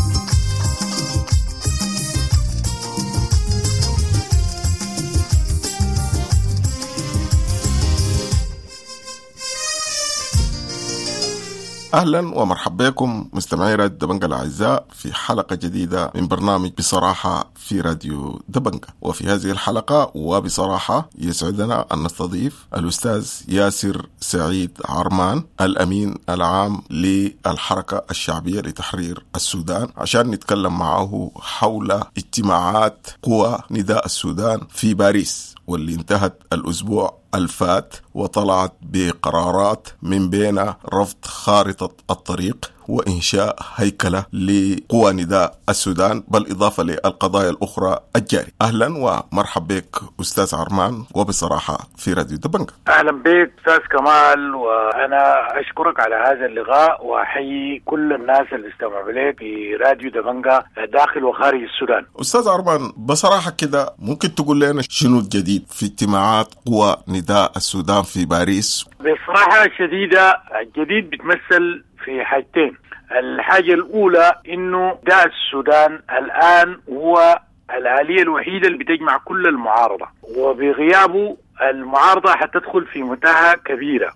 أهلا ومرحبا بكم مستمعي راديو دبنجا الأعزاء في حلقة جديدة من برنامج بصراحة في راديو دبنجا. وفي هذه الحلقة وبصراحة يسعدنا أن نستضيف الأستاذ ياسر سعيد عرمان، الأمين العام للحركة الشعبية لتحرير السودان، عشان نتكلم معه حول اجتماعات قوى نداء السودان في باريس واللي انتهت الأسبوع الفات وطلعت بقرارات من بين رفض خارطة الطريق وإنشاء هيكلة لقوى نداء السودان بالإضافة للقضايا الأخرى الجارية. أهلا ومرحبا بك أستاذ عرمان وبصراحة في راديو دبنجا. أهلا بك أستاذ كمال، وأنا أشكرك على هذا اللقاء وأحيي كل الناس اللي استمعوا لك في راديو دبنجا داخل وخارج السودان. أستاذ عرمان، بصراحة كده ممكن تقول لنا شنو الجديد في اجتماعات قوى نداء السودان في باريس؟ بصراحة شديدة الجديد بتمثل في حاجتين. الحاجة الأولى إنه نداء السودان الآن هو الآلية الوحيدة اللي بتجمع كل المعارضة، وبغيابه المعارضة حتدخل في متاهة كبيرة.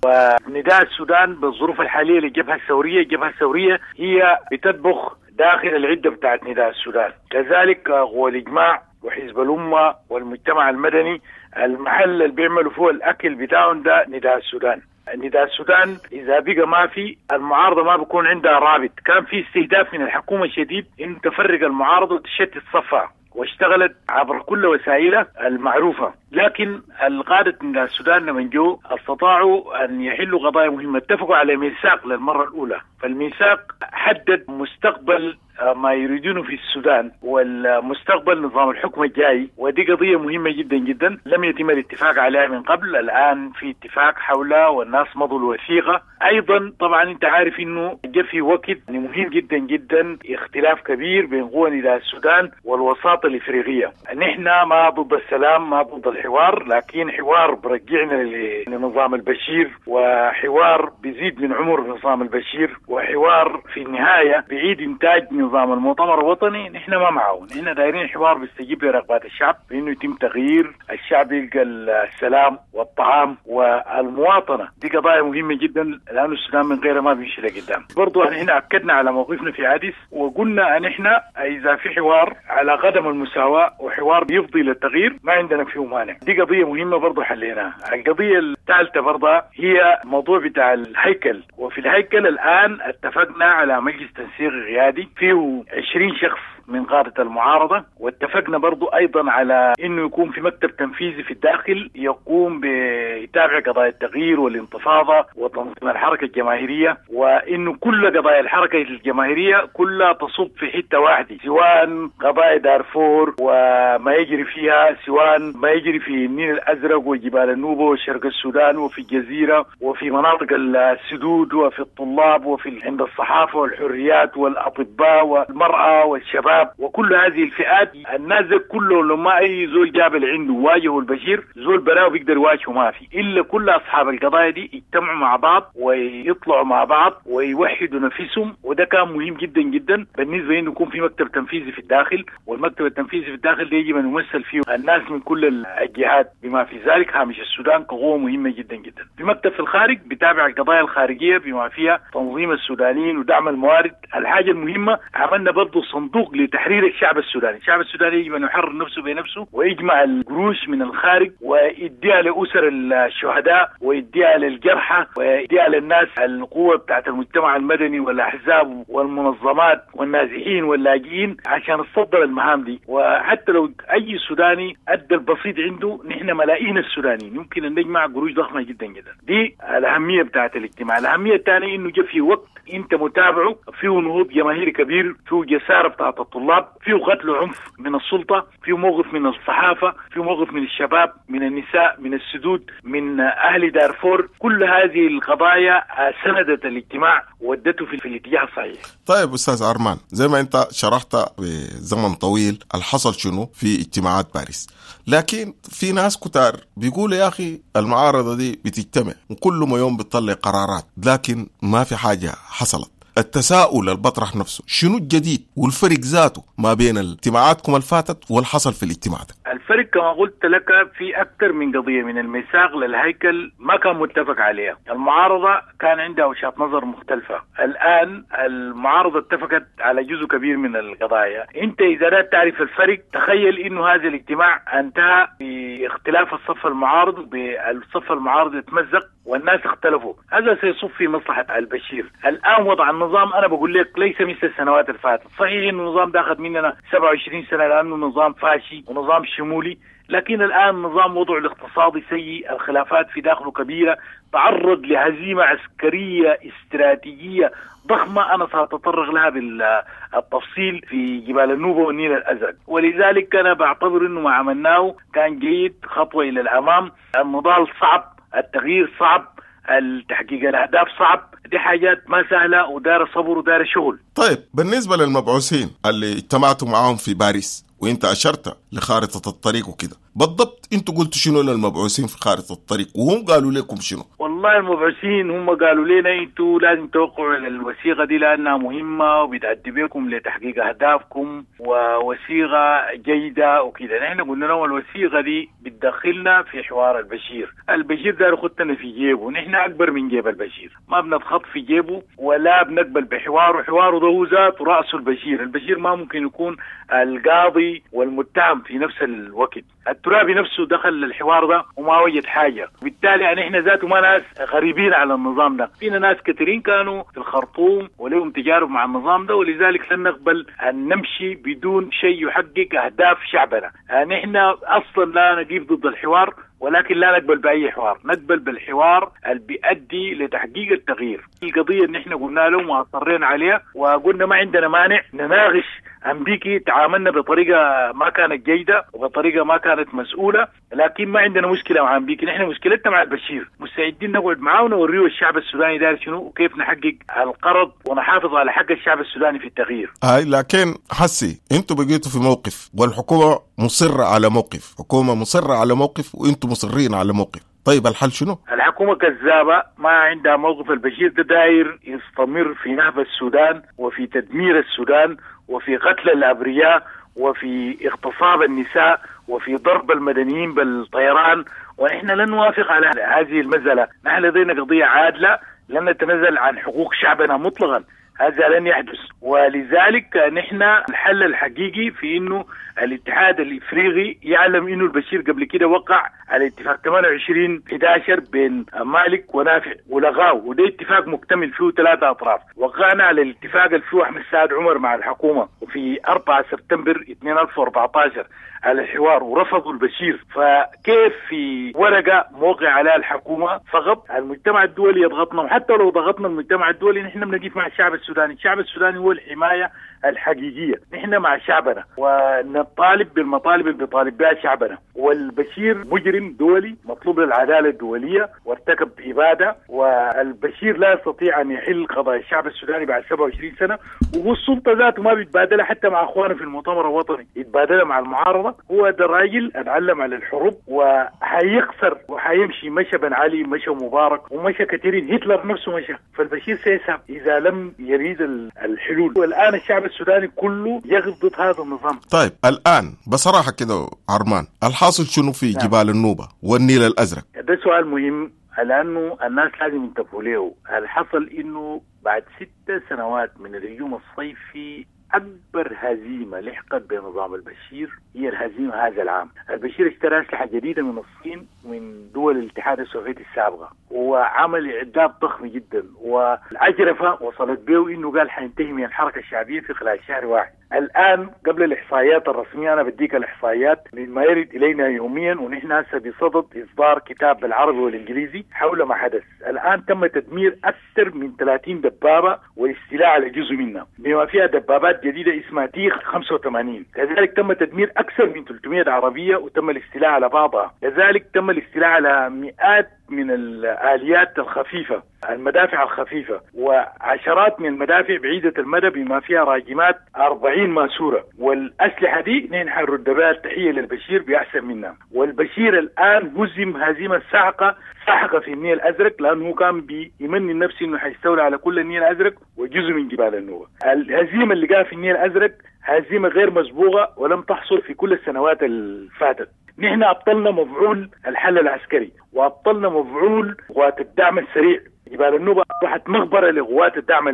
ونداء السودان بالظروف الحالية للجبهة الثورية، الجبهة الثورية هي بتطبخ داخل العدة بتاعت نداء السودان، كذلك هو الإجماع وحزب الأمة والمجتمع المدني، المحل اللي بيعملوا فيه الأكل بتاعهم ده نداء السودان. نداء السودان إذا بقى ما في المعارضة ما بيكون عندها رابط. كان في استهداف من الحكومة الشديد إن تفرق المعارضة وتشتت صفها، واشتغلت عبر كل وسائلها المعروفة، لكن القادة من السودان لما جو استطاعوا أن يحلوا قضايا مهمة. اتفقوا على ميثاق للمرة الأولى، فالميثاق حدد مستقبل ما يريدونه في السودان والمستقبل نظام الحكم الجاي، ودي قضية مهمة جدا جدا لم يتم الاتفاق عليها من قبل. الآن في اتفاق حولها والناس مضوا الوثيقة. أيضا طبعا أنت عارف أنه جاء في وقت مهم جدا جدا اختلاف كبير بين قوى نداء السودان والوساطة الإفريقية. نحن ما ضد السلام، ما ضد الحوار، لكن حوار برجعنا لنظام البشير، وحوار بيزيد من عمر نظام البشير، وحوار في النهاية بعيد إنتاج نظام المؤتمر الوطني. نحن ما معه، نحن دايرين حوار بيستجيب لرغبات الشعب بانه يتم تغيير الشعب، يلقى السلام والطعام والمواطنه. دي قضايا مهمه جدا لانه السودان من غيرها ما بيمشي لقدام. برضو نحن اكدنا على موقفنا في عدس وقلنا ان احنا اذا في حوار على قدم المساواه وحوار بيفضي للتغيير ما عندنا فيه مانع. دي قضيه مهمه برضو حليناها. القضيه الثالثه برضه هي موضوع بتاع الهيكل، وفي الهيكل الان اتفقنا على مجلس تنسيق قيادي فيه عشرين شخص من قادة المعارضة، واتفقنا برضو أيضا على أنه يكون في مكتب تنفيذي في الداخل يقوم بيتابع قضايا التغيير والانتفاضة وتنظيم الحركة الجماهيرية، وأنه كل قضايا الحركة الجماهيرية كلها تصب في حتة واحدة، سواء قضايا دارفور وما يجري فيها، سواء ما يجري في النيل الأزرق وجبال النوبة وشرق السودان وفي الجزيرة وفي مناطق السدود وفي الطلاب وفي عند الصحافة والحريات والأطباء والمرأة والشباب والشباب وكل هذه الفئات. الناس دي كله لما أي زول جاب اللي عنده واجهه البشير، زول براه بيقدر يواجهه ما في، إلا كل أصحاب القضايا دي يجتمعوا مع بعض ويطلعوا مع بعض ويوحدوا نفسهم. وده كان مهم جدا جدا بالنسبة إنه يكون في مكتب تنفيذي في الداخل، والمكتب التنفيذي في الداخل ده يجب أن يمثل فيه الناس من كل الجهات بما في ذلك هامش السودان كقوة مهمة جدا جدا. في مكتب في الخارج بتابع القضايا الخارجية بما فيها تنظيم السودانيين ودعم الموارد. الحاجة المهمة عملنا برضو صندوق لتحرير الشعب السوداني. الشعب السوداني يجب أن يحرر نفسه بنفسه ويجمع القروش من الخارج ويديها لأسر الشهداء ويديها للجرحى ويديها للناس، القوة بتاعت المجتمع المدني والأحزاب والمنظمات والنازحين واللاجئين عشان تصدر المهام دي. وحتى لو أي سوداني أدى البسيط عنده، نحن ملايين السودانيين يمكن أن نجمع قروش ضخمة جدا جدا. دي الأهمية بتاعت الاجتماع. الأهمية الثانية إنه جاء في وقت أنت متابعه فيه نهوض جماهيري كبير، فيه جسارة بتاعت الطلاب، فيه قتل عنف من السلطة، فيه موقف من الصحافة، فيه موقف من الشباب، من النساء، من السدود، من أهل دارفور. كل هذه القضايا سندت الاجتماع ودته في الاتجاه الصحيح. طيب أستاذ أرمان، زي ما أنت شرحت بزمن طويل الحصل شنو في اجتماعات باريس، لكن في ناس كتار بيقولوا يا أخي المعارضة دي بتجتمع وكل ما يوم بتطلع قرارات، لكن ما في حاجة حصلت. التساؤل اللي بطرح نفسه شنو الجديد والفرق ذاته ما بين اجتماعاتكم الفاتت والحصل في الاجتماع ده؟ الفرق كما قلت لك في أكثر من قضية، من الميثاق للهيكل ما كان متفق عليها. المعارضة كان عندها وجهات نظر مختلفة. الآن المعارضة اتفقت على جزء كبير من القضايا. أنت إذا لا تعرف الفرق، تخيل إنه هذا الاجتماع انتهى باختلاف الصف المعارض، بالصف المعارض يتمزق والناس اختلفوا. هذا سيصب في مصلحة البشير. الآن وضع النظام أنا بقول لك ليس مثل السنوات الفاتت. صحيح إنه النظام ده أخذ مننا سبعة وعشرين سنة لأنه نظام فاشي ونظام شمولي، لكن الآن نظام وضعه الاقتصادي سيء، الخلافات في داخله كبيرة، تعرض لهزيمة عسكرية استراتيجية ضخمة أنا سأتطرق لها بالتفصيل في جبال النوبة والنيل الأزرق. ولذلك أنا بعتبر أنه ما عملناه كان جيد، خطوة إلى الأمام. النضال صعب، التغيير صعب، التحقيق الأهداف صعب، دي حاجات ما سهلة ودار صبر ودار شغل. طيب بالنسبة للمبعوثين اللي اجتمعتوا معاهم في باريس وانت أشرت لخارطة الطريق وكده، بالضبط انتوا قلتوا شنو للمبعوثين في خارطة الطريق وهم قالوا لكم شنو؟ والله المبعوثين هم قالوا لنا انتوا لازم توقعوا على الوثيقة دي لأنها مهمة وبتأدي بكم لتحقيق أهدافكم ووثيقة جيدة وكده. نحن قلنا لهم الوثيقة دي بتدخلنا في حوار البشير، البشير ده خدتنا في جيبه، نحن أكبر من جيب البشير، ما بنتخط في جيبه ولا بنقبل بحواره. حواره ده هو ذاته رأسه البشير، البشير ما ممكن يكون القاضي والمتهم في نفس الوقت. الترابي نفسه دخل الحوار ده وما وجد حاجة، وبالتالي يعني احنا ذاته ما ناس غريبين على النظام ده، فينا ناس كثيرين كانوا في الخرطوم ولهم تجارب مع النظام ده، ولذلك لن نقبل أن نمشي بدون شيء يحقق أهداف شعبنا. يعني احنا أصلا لا نقف ضد الحوار، ولكن لا نقبل بأي حوار، نقبل بالحوار اللي بيؤدي لتحقيق التغيير. القضية اللي احنا قلنا لهم وأصرينا عليها وقلنا ما عندنا مانع نناقش أمريكي، تعاملنا بطريقة ما كانت جيدة وبطريقة ما كانت مسؤولة، لكن ما عندنا مشكلة مع أمريكي، نحن مشكلتنا مع البشير، مستعدين نقعد معاه ونوريه الشعب السوداني داير شنو وكيف نحقق القرض ونحافظ على حق الشعب السوداني في التغيير. هاي لكن حسي انتوا بقيتوا في موقف والحكومة مصرة على موقف، حكومة مصرة على موقف وانتوا مصرين على موقف، طيب الحل شنو؟ الحكومة كذابة ما عندها موقف. البشير ده داير يستمر في نهب السودان وفي تدمير السودان وفي قتل الأبرياء وفي اغتصاب النساء وفي ضرب المدنيين بالطيران، ونحن لن نوافق على هذه المسألة. نحن لدينا قضية عادلة، لن نتنازل عن حقوق شعبنا مطلقا، هذا لن يحدث. ولذلك نحن الحل الحقيقي في انه الاتحاد الافريقي يعلم انه البشير قبل كده وقع على اتفاق ثمانية وعشرين أحد عشر بين مالك ونافع ولغاه، وده اتفاق مكتمل فيه ثلاثة اطراف. وقعنا على الاتفاق اللي فيه احمد سعد عمر مع الحكومة وفي أربعة سبتمبر ألفين وأربعة عشر على الحوار ورفضوا البشير. فكيف في ورقة موقع عليها الحكومة فقط المجتمع الدولي يضغطنا؟ وحتى لو ضغطنا المجتمع الدولي نحن بنقف مع الشعب السوداني. الشعب السوداني هو الحماية الحقيقية. نحن مع شعبنا ونطالب بالمطالب اللي بيطالب بها شعبنا. والبشير مجرم دولي مطلوب للعدالة الدولية وارتكب إبادة، والبشير لا يستطيع أن يحل قضايا الشعب السوداني بعد سبعة وعشرين سنة، وهو السلطة ذاته ما بيتبادلها حتى مع أخوانه في المؤتمر الوطني، يتبادلها مع المعارضة. هو ده الراجل اتعلم على الحروب وحيخسر وحيمشي، مشى بن علي، مشى مبارك، ومشى كثيرين، هتلر نفسه مشى. فالبشير سيذهب إذا لم يريد الحلول، والآن الشعب السوداني كله يغض ضد هذا النظام. طيب الآن بصراحة كده عرمان، الحاصل شنو في نعم. جبال النوبة والنيل الأزرق؟ ده سؤال مهم لأنه الناس لازم ينتبهوا له. الحصل إنه بعد ست سنوات من الهجوم الصيفي أكبر هزيمة لحقت بنظام البشير هي الهزيمة هذا العام. البشير اشترى أسلحة جديدة من الصين ومن دول الاتحاد السوفيتي السابقة، وعمل إعداد ضخم جدا، والعجرفة وصلت به إنه قال حينتهي من الحركة الشعبية في خلال شهر واحد. الآن قبل الإحصائيات الرسمية، أنا بديك الإحصائيات مما يرد إلينا يوميا، ونحن هسه بصدد إصدار كتاب بالعربي والإنجليزي حول ما حدث. الآن تم تدمير أكثر من ثلاثين دبابة والاستيلاء على جزء منها بما فيها دبابات جديدة اسمها تيخ خمسة وثمانين. كذلك تم تدمير أكثر من ثلاثمئة عربية وتم الاستيلاء على بعضها. كذلك تم الاستيلاء على مئات من الآليات الخفيفة، المدافع الخفيفة، وعشرات من المدافع بعيدة المدى بما فيها راجمات أربعين ماسورة. والأسلحة دي نحن حنرد بها التحية للبشير بأحسن منها. والبشير الآن هزم هزيمة ساحقة ساحقة في النيل الأزرق، لأنه كان بيمني النفس إنه حيستولي على كل النيل الأزرق وجزء من جبال النوبة. الهزيمة اللي جاء في النيل الأزرق هزيمة غير مسبوقة ولم تحصل في كل السنوات الفاتت. نحن أبطلنا مفعول الحل العسكري، وأبطلنا مفعول قوات الدعم السريع. جبال النوبة أصبحت مغبرة لقوات الدعم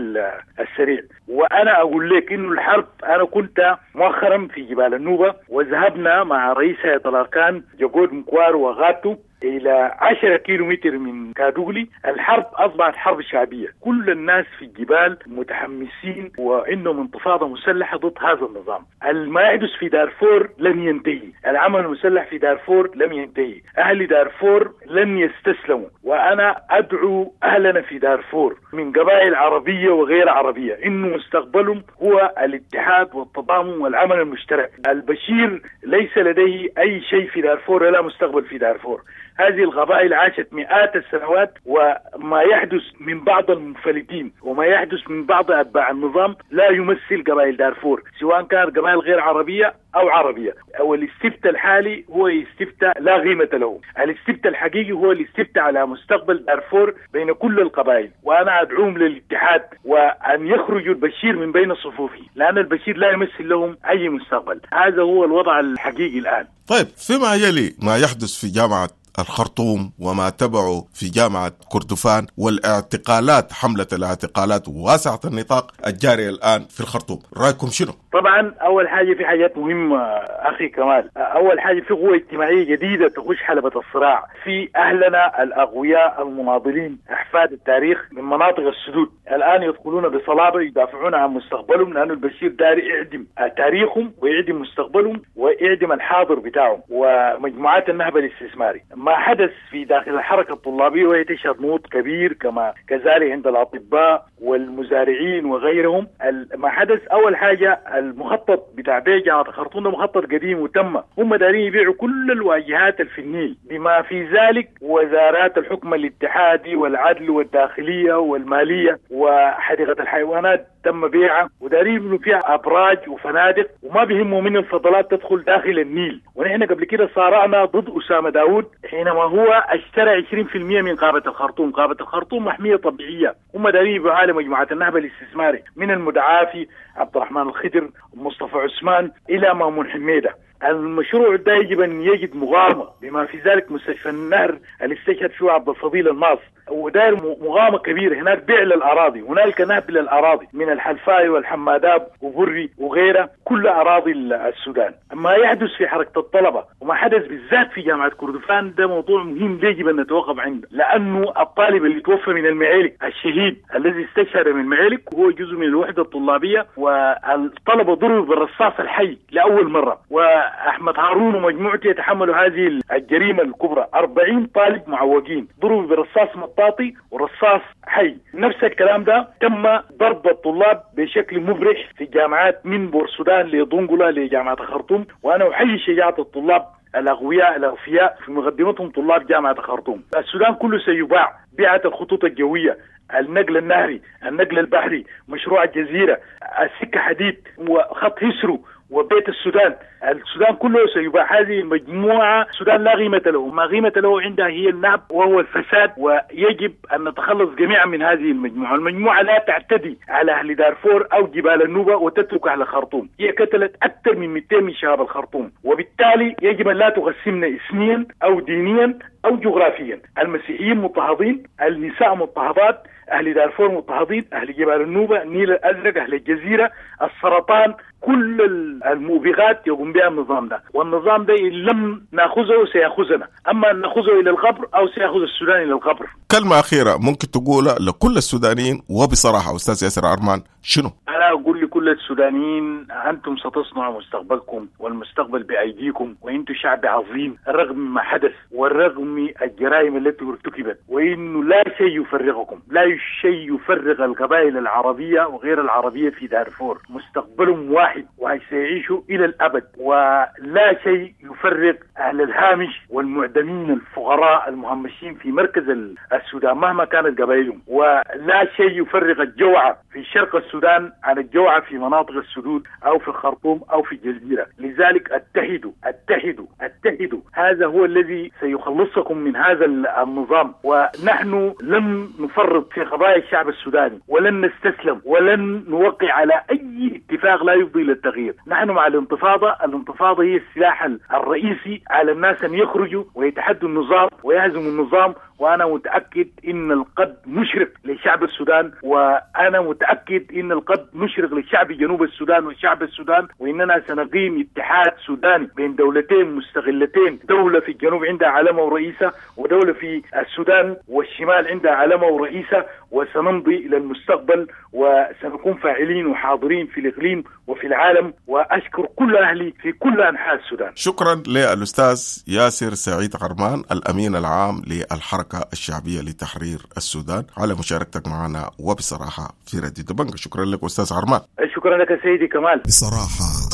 السريع. وأنا أقول لك إنه الحرب، أنا كنت مؤخرا في جبال النوبة وذهبنا مع رئيس هيئة الأركان جاكود مكوار وغاتو إلى عشرة كيلومتر من كادوغلي. الحرب أصبحت حرب شعبية، كل الناس في الجبال متحمسين وعندهم انتفاضة مسلحة ضد هذا النظام. ما يحدث في دارفور لن ينتهي، العمل المسلح في دارفور لم ينتهي، أهل دارفور لن يستسلموا. وأنا أدعو أهلنا في دارفور من قبائل عربية وغير عربية إنه مستقبلهم هو الاتحاد والتضامن والعمل المشترك. البشير ليس لديه أي شيء في دارفور ولا مستقبل في دارفور. هذه القبائل عاشت مئات السنوات، وما يحدث من بعض المنفلتين وما يحدث من بعض أتباع النظام لا يمثل قبائل دارفور، سواء كان قبائل غير عربية أو عربية. أو الاستفتاء الحالي هو استفتاء لا قيمة له. الاستفتاء الحقيقي هو الاستفتاء على مستقبل دارفور بين كل القبائل، وأنا أدعوهم للاتحاد وأن يخرجوا البشير من بين صفوفه، لأن البشير لا يمثل لهم أي مستقبل. هذا هو الوضع الحقيقي الآن. طيب، فيما يلي ما يحدث في جامعة الخرطوم وما تبعه في جامعة كردفان والاعتقالات، حملة الاعتقالات واسعة النطاق الجارية الآن في الخرطوم، رأيكم شنو؟ طبعا أول حاجة في حاجات مهمة أخي كمال. أول حاجة في قوة اجتماعية جديدة تخش حلبة الصراع، في أهلنا الأقوياء المناضلين أحفاد التاريخ من مناطق السدود الآن يدخلون بصلابة يدافعون عن مستقبلهم، لأن البشير داري يعدم تاريخهم ويعدم مستقبلهم ويعدم الحاضر بتاعهم ومجموعات النهب الاستثماري. ما حدث في داخل الحركة الطلابية وهي تشهد نهوض كبير، كما كذلك عند الأطباء والمزارعين وغيرهم. ما حدث أول حاجة المخطط بتاع بيع جامعة الخرطوم ده مخطط قديم وتم، هم دارين يبيعوا كل الواجهات في النيل بما في ذلك وزارات الحكم الاتحادي والعدل والداخلية والمالية وحديقة الحيوانات تم بيعها، ودارين يبنوا فيها أبراج وفنادق، وما بيهموا من الفضلات تدخل داخل النيل. ونحن قبل كده صارعنا ضد أسامة داود حينما هو اشترى عشرين بالمئة من غابة الخرطوم. غابة الخرطوم محمية طبيعية، هم دارين يبيعوها لمجموعة النهب الاستثماري من المدعافي عبد الرحمن الخضر مصطفى عثمان إلى مامون حميدة. المشروع ده يجب أن يجد مغامرة بما في ذلك مستشفى النهر اللي استشهد فيه عبد الفضيل الماص، وداير مغامرة كبيرة هناك، بيع للأراضي، هنالك نهب للأراضي من الحلفاي والحماداب وبري وغيرها، كل أراضي السودان. ما يحدث في حركة الطلبة وما حدث بالذات في جامعة كردفان ده موضوع مهم يجب أن نتوقف عنده، لأنه الطالب اللي توفى من المعالك الشهيد الذي استشهد من المعالك هو جزء من الوحدة الطلابية، والطلبة ضربوا بالرصاص الحي لأول مرة، و وأحمد هارون ومجموعته يتحملوا هذه الجريمة الكبرى. أربعين طالب معوقين ضربوا برصاص مطاطي ورصاص حي. نفس الكلام ده تم ضرب الطلاب بشكل مبرح في الجامعات من بورسودان لدنقلة لجامعة الخرطوم، وأنا أحيي شجاعة الطلاب الأغوياء الأغفياء في مقدمتهم طلاب جامعة الخرطوم. السودان كله سيباع، بيعة الخطوط الجوية، النقل النهري، النقل البحري، مشروع الجزيرة، السكة حديد، وخط هيسرو، وبيت السودان. السودان كله سيباع. هذه المجموعة السودان لا قيمة له، ما قيمة له عندها هي النهب وهو الفساد، ويجب أن نتخلص جميعا من هذه المجموعة. المجموعة لا تعتدي على أهل دارفور أو جبال النوبة وتترك أهل الخرطوم، هي قتلت أكثر من مئتين من شباب الخرطوم، وبالتالي يجب أن لا تقسمنا إثنيا أو دينيا أو جغرافيا. المسيحيين مضطهدين، النساء مضطهدات، أهل دارفور مضطهدين، أهل جبال النوبة، النيل الأزرق، أهل الجزيرة، السرطان، كل الموبقات يقوم بها النظام ده. والنظام ده إن لم نأخذه سيأخذنا، أما أن نأخذه إلى القبر أو سيأخذ السودان إلى القبر. كلمة أخيرة ممكن تقولها لكل السودانيين وبصراحة أستاذ ياسر عرمان شنو؟ أنا أقول لكل السودانيين أنتم ستصنعوا مستقبلكم والمستقبل بأيديكم، وأنتم شعب عظيم رغم ما حدث ورغم الجرائم التي ارتكبت، وإنه لا شيء يفرقكم، لا شيء يفرق القبائل العربية وغير العربية في دارفور، مستقبلهم واحد وسيعيشوا إلى الأبد، ولا شيء يفرق أهل الهامش والمعدمين الفقراء المهمشين في مركز السودان مهما كانت قبائلهم، ولا شيء يفرق الجوعة في شرق السودان عن الجوعة في مناطق السدود أو في الخرطوم أو في الجزيرة. لذلك اتحدوا اتحدوا اتحدوا، هذا هو الذي سيخلصكم من هذا النظام. ونحن لم نفرط في قضايا الشعب السوداني، ولن نستسلم، ولن نوقع على أي اتفاق لا يفضي للتغيير. نحن مع الانتفاضة، الانتفاضة هي السلاح الرئيسي على الناس أن يخرجوا ويتحدوا النظام ويهزموا النظام. وأنا متأكد إن القد مشرق لشعب السودان، وأنا متأكد إن القد مشرق لشعب جنوب السودان وشعب السودان، وإننا سنقيم اتحاد سوداني بين دولتين مستغلتين، دولة في الجنوب عندها علامة ورئيسة، ودولة في السودان والشمال عندها علامة ورئيسة، وسنمضي إلى المستقبل وسنكون فاعلين وحاضرين في الإقليم وفي العالم. وأشكر كل أهلي في كل أنحاء السودان. شكرا للأستاذ ياسر سعيد عرمان الأمين العام للحركة الشعبية لتحرير السودان على مشاركتك معنا وبصراحة في راديو دبنجة. شكرا لك أستاذ عرمان. شكرا لك سيدي كمال. بصراحة.